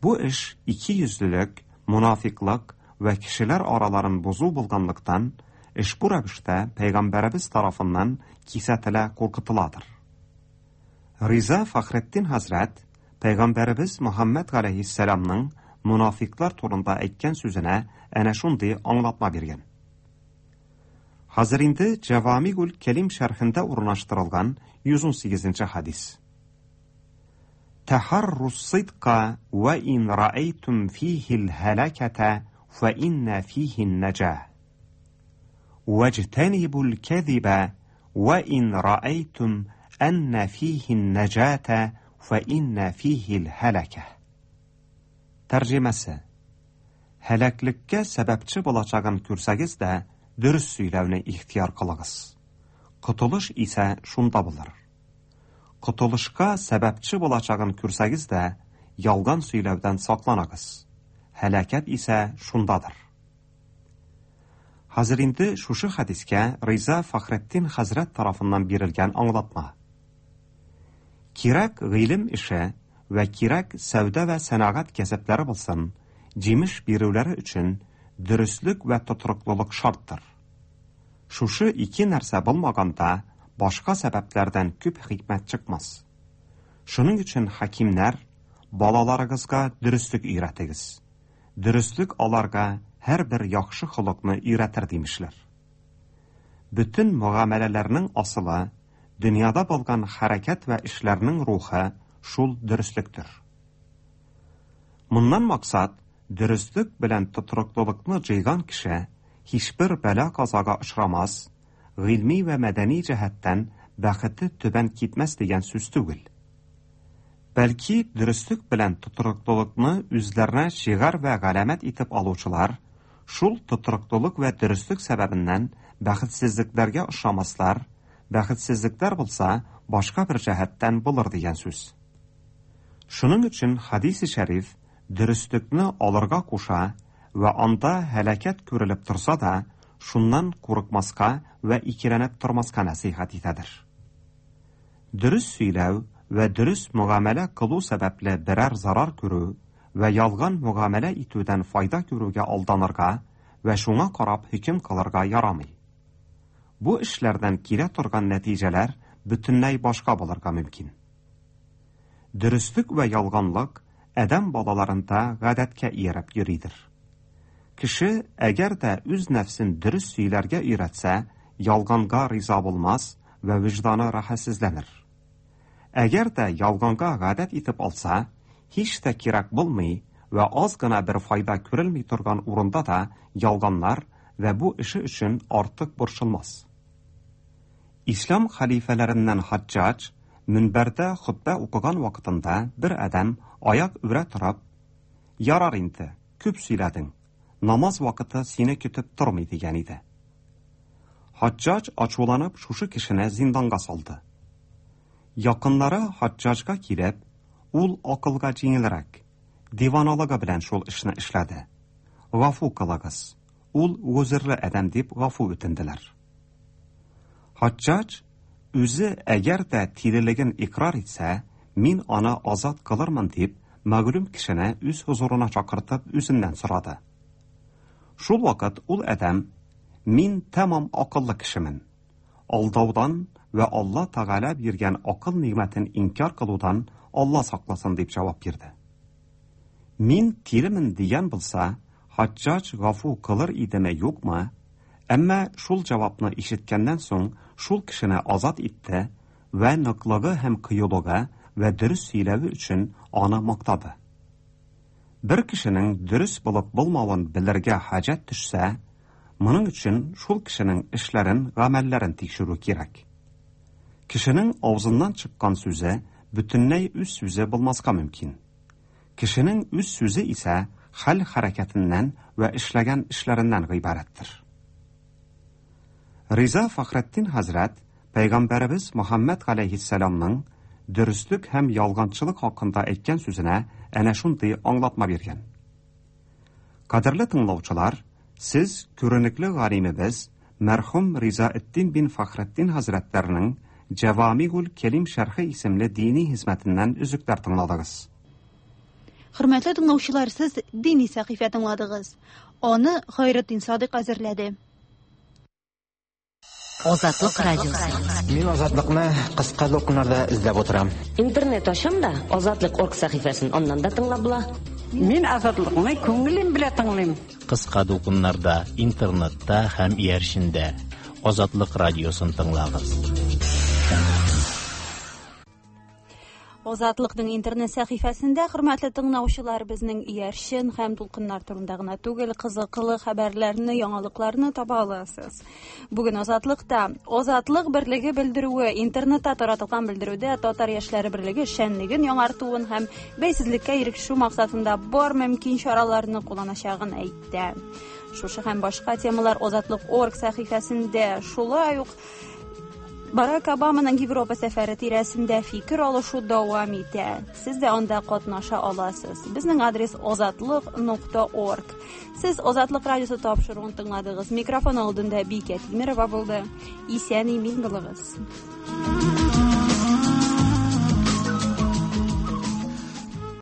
Бу эш ике йөзлелек, мунафиклык ва кешеләр араларын бозу булганлыктан, эш бу рәвештә пәйгамбәребез тарафыннан кисәтелә, куркытыладыр. Риза Фәхретдин хәзрәт пәйгамбәребез Мөхәммәд галәйһиссәламның мунафиклар турында әйткән сүзенә әнә шундый аңлатма биргән. Хәзер инде Җавамигул Кәлим шәрхендә урнаштырылган йөз ун сигезенче хәдис. Тахарру сидка ва ин раайтум фихи аль-халаката фа инна фихи ан-наджах. Ваджтанибу аль-казиба ва ин раайтум анна фихи ан-наджата фа инна фихи аль-халака. Тәрҗемәсе: Һәлаклеккә сәбәпче булачагын күрсәгез дә, дөрес сөйләүне ихтыяр кылыгыз. Котылыш исә шунда булыр. Котылышка сәбәпче булачагын күрсәгез дә, ялган сөйләүдән сакланыгыз. Һәлакәт исә шундадыр. Хәзер инде шушы хәдискә Риза Фәхретдин хәзрәт тарафыннан бирелгән аңлатма. Кирәк гыйлем эше вә кирәк сәүдә вә сәнәгать кәсепләре булсын, җимеш бирүләре өчен дөреслек вә тотрыклылык шарттыр. Шушы ике нәрсә булмаганда, башка сәбәпләрдән күп хикмәт чыкмас. Шуның өчен хакимнәр, балаларыгызга дөреслек өйрәтегез. Дөреслек аларга һәрбер яхшы холыкны өйрәтер димешләр. Бөтен мөгамәләләрнең асылы, дөньяда булган хәрәкәт вә эшләрнең рухы шул дөреслектер. Моннан максат, дөреслек белән тотрыклылыкны җыйган кеше һичбер бәла-казага очрамас, гыйльми вә мәдәни җәһәттән бәхете түбән китмәс дигән сүз түгел. Бәлки дөреслек белән тотрыклылыкны үзләренә шиғар вә галәмәт итеп алучылар, шул тотрыклылык вә дөреслек сәбәбеннән бәхетсезлекләргә ошамаслар, бәхетсезлекләр булса, башка бер җәһәттән булыр дигән сүз. Шуның өчен хадис-и шәриф дөреслекне алырга куша вә анда һәлакәт күрелеп торса да, шуннан курыкмаска вә икеләнеп тормаска нәсыйхәт итәдер. Дөрес сөйләү вә дөрес мөгамәлә кылу сәбәпле берәр зарар күрү вә ялган мөгамәлә итүдән файда күрүгә алданырга вә шуңа карап хөкем кылырга ярамый. Бу эшләрдән килә торган нәтиҗәләр бөтенләй башка булырга мөмкин. Дөреслек вә ялганлык адәм балаларында гадәткә ияреп йөридер. Кеше әгәр дә үз нәфсен дөрес сөйләргә өйрәтсә, ялганга риза булмас вә вөҗданы рәхәтсезләнер. Әгәр дә ялганга гадәт итеп алса, һич тә кирәк булмый вә аз гына бер файда күрелми торган урында да ялганнар вә бу эше өчен артык борчылмас. Ислам хәлифәләреннән Хаҗҗаҗ мөнбәрдә хотбә укыган вакытында бер адәм аяк үрә торып, «Ярар инде, күп сөйләдең, намаз вакыты сине көтеп тормый» дигән иде. Хаҗҗаҗ ачуланып шушы кешене зинданга салды. Якыннары Хаҗҗаҗга килеп, ул акылга җиңелрәк, диваналыгы белән шул эшне эшләде. Гафу кылыгыз, ул гозерле адәм дип гафу үтенделәр. Хаҗҗаҗ үзе әгәр дә тирелеген икрар итсә, мин аны азат кылырмын дип, мәгълүм кешене үз хозурына чакыртып үзеннән сорады. Шул вакыт ул адәм, мин тәмам акыллы кешемен. Алдаудан вә Алла Тәгалә биргән акыл нигъмәтен инкар кылудан Алла сакласын дип җавап бирде. Мин тиремен дигән булса, Хаҗҗаҗ гафу кылыр идеме юкмы? Әмма шул җавапны ишеткәннән соң шул кешене азат итте вә ныклыгы һәм кыюлыгы вә дөрес сөйләве өчен аны мактады. Бер кешенең дөрес булып булмавын белергә хаҗәт төшсә, моның өчен шул кешенең эшләрен, гамәлләрен тикшерү кирәк. Кешенең авызыннан чыккан сүзе бөтенләй үз сүзе булмаска мөмкин. Кешенең үз сүзе исә хәл хәрәкәтеннән вә эшләгән эшләреннән гыйбарәттер. Риза Фәхретдин хәзрәт Пәйгамбәребез Мөхәммәд галәйһиссәламның дөреслек һәм ялганчылык хакында әйткән сүзенә әнә шундый аңлатма биргән. Кадерле тыңлаучылар, сез күренекле галимебез мәрхүм Ризаэддин бин Фәхретдин хәзрәтләренең Җәвамигул Кәлим шәрхе исемле дини хезмәтеннән өзекләр тыңладыгыз. Хөрмәтле тыңлаучылар, сез дини сәхифә тыңладыгыз. Аны Хайретдин Садык әзерләде. Азатлык радиосы. Мин Азатлыкны кыска дулкыннарда эзләп утырам. Интернет ачам да, Азатлык орг сәхифәсен аннан да тыңлап була. Мин Азатлыкны күңелем белән тыңлыйм. Кыска дулкыннарда, интернетта һәм иярчендә Азатлык радиосын тыңлагыз. Азатлыкның интернет сәхифәсендә, хөрмәтле тыңлаучылар, безнең иярчен һәм дулкыннар турында гына түгел, кызыклы хәбәрләрне, яңалыкларны таба аласыз. Бүген Азатлыкта Азатлык берлеге белдерүе, интернетта таратылган белдерүдә Татар яшьләре берлеге эшчәнлеген яңартуын һәм бәйсезлеккә ирешү максатында бар мөмкин чараларны кулланачагын әйтте. Шушы һәм башка темалар Азатлык орг сәхифәсендә. Шулай ук Барак Обаманың Европа сәфәре тирәсендә фикер алышу дәвам итә. Сез дә анда катнаша аласыз. Безнең адрес азатлык нокта орг. Сез Азатлык радиосы тапшыруын тыңладыгыз. Микрофон алдында Бикә Тимерова булды. Исән имин булыгыз.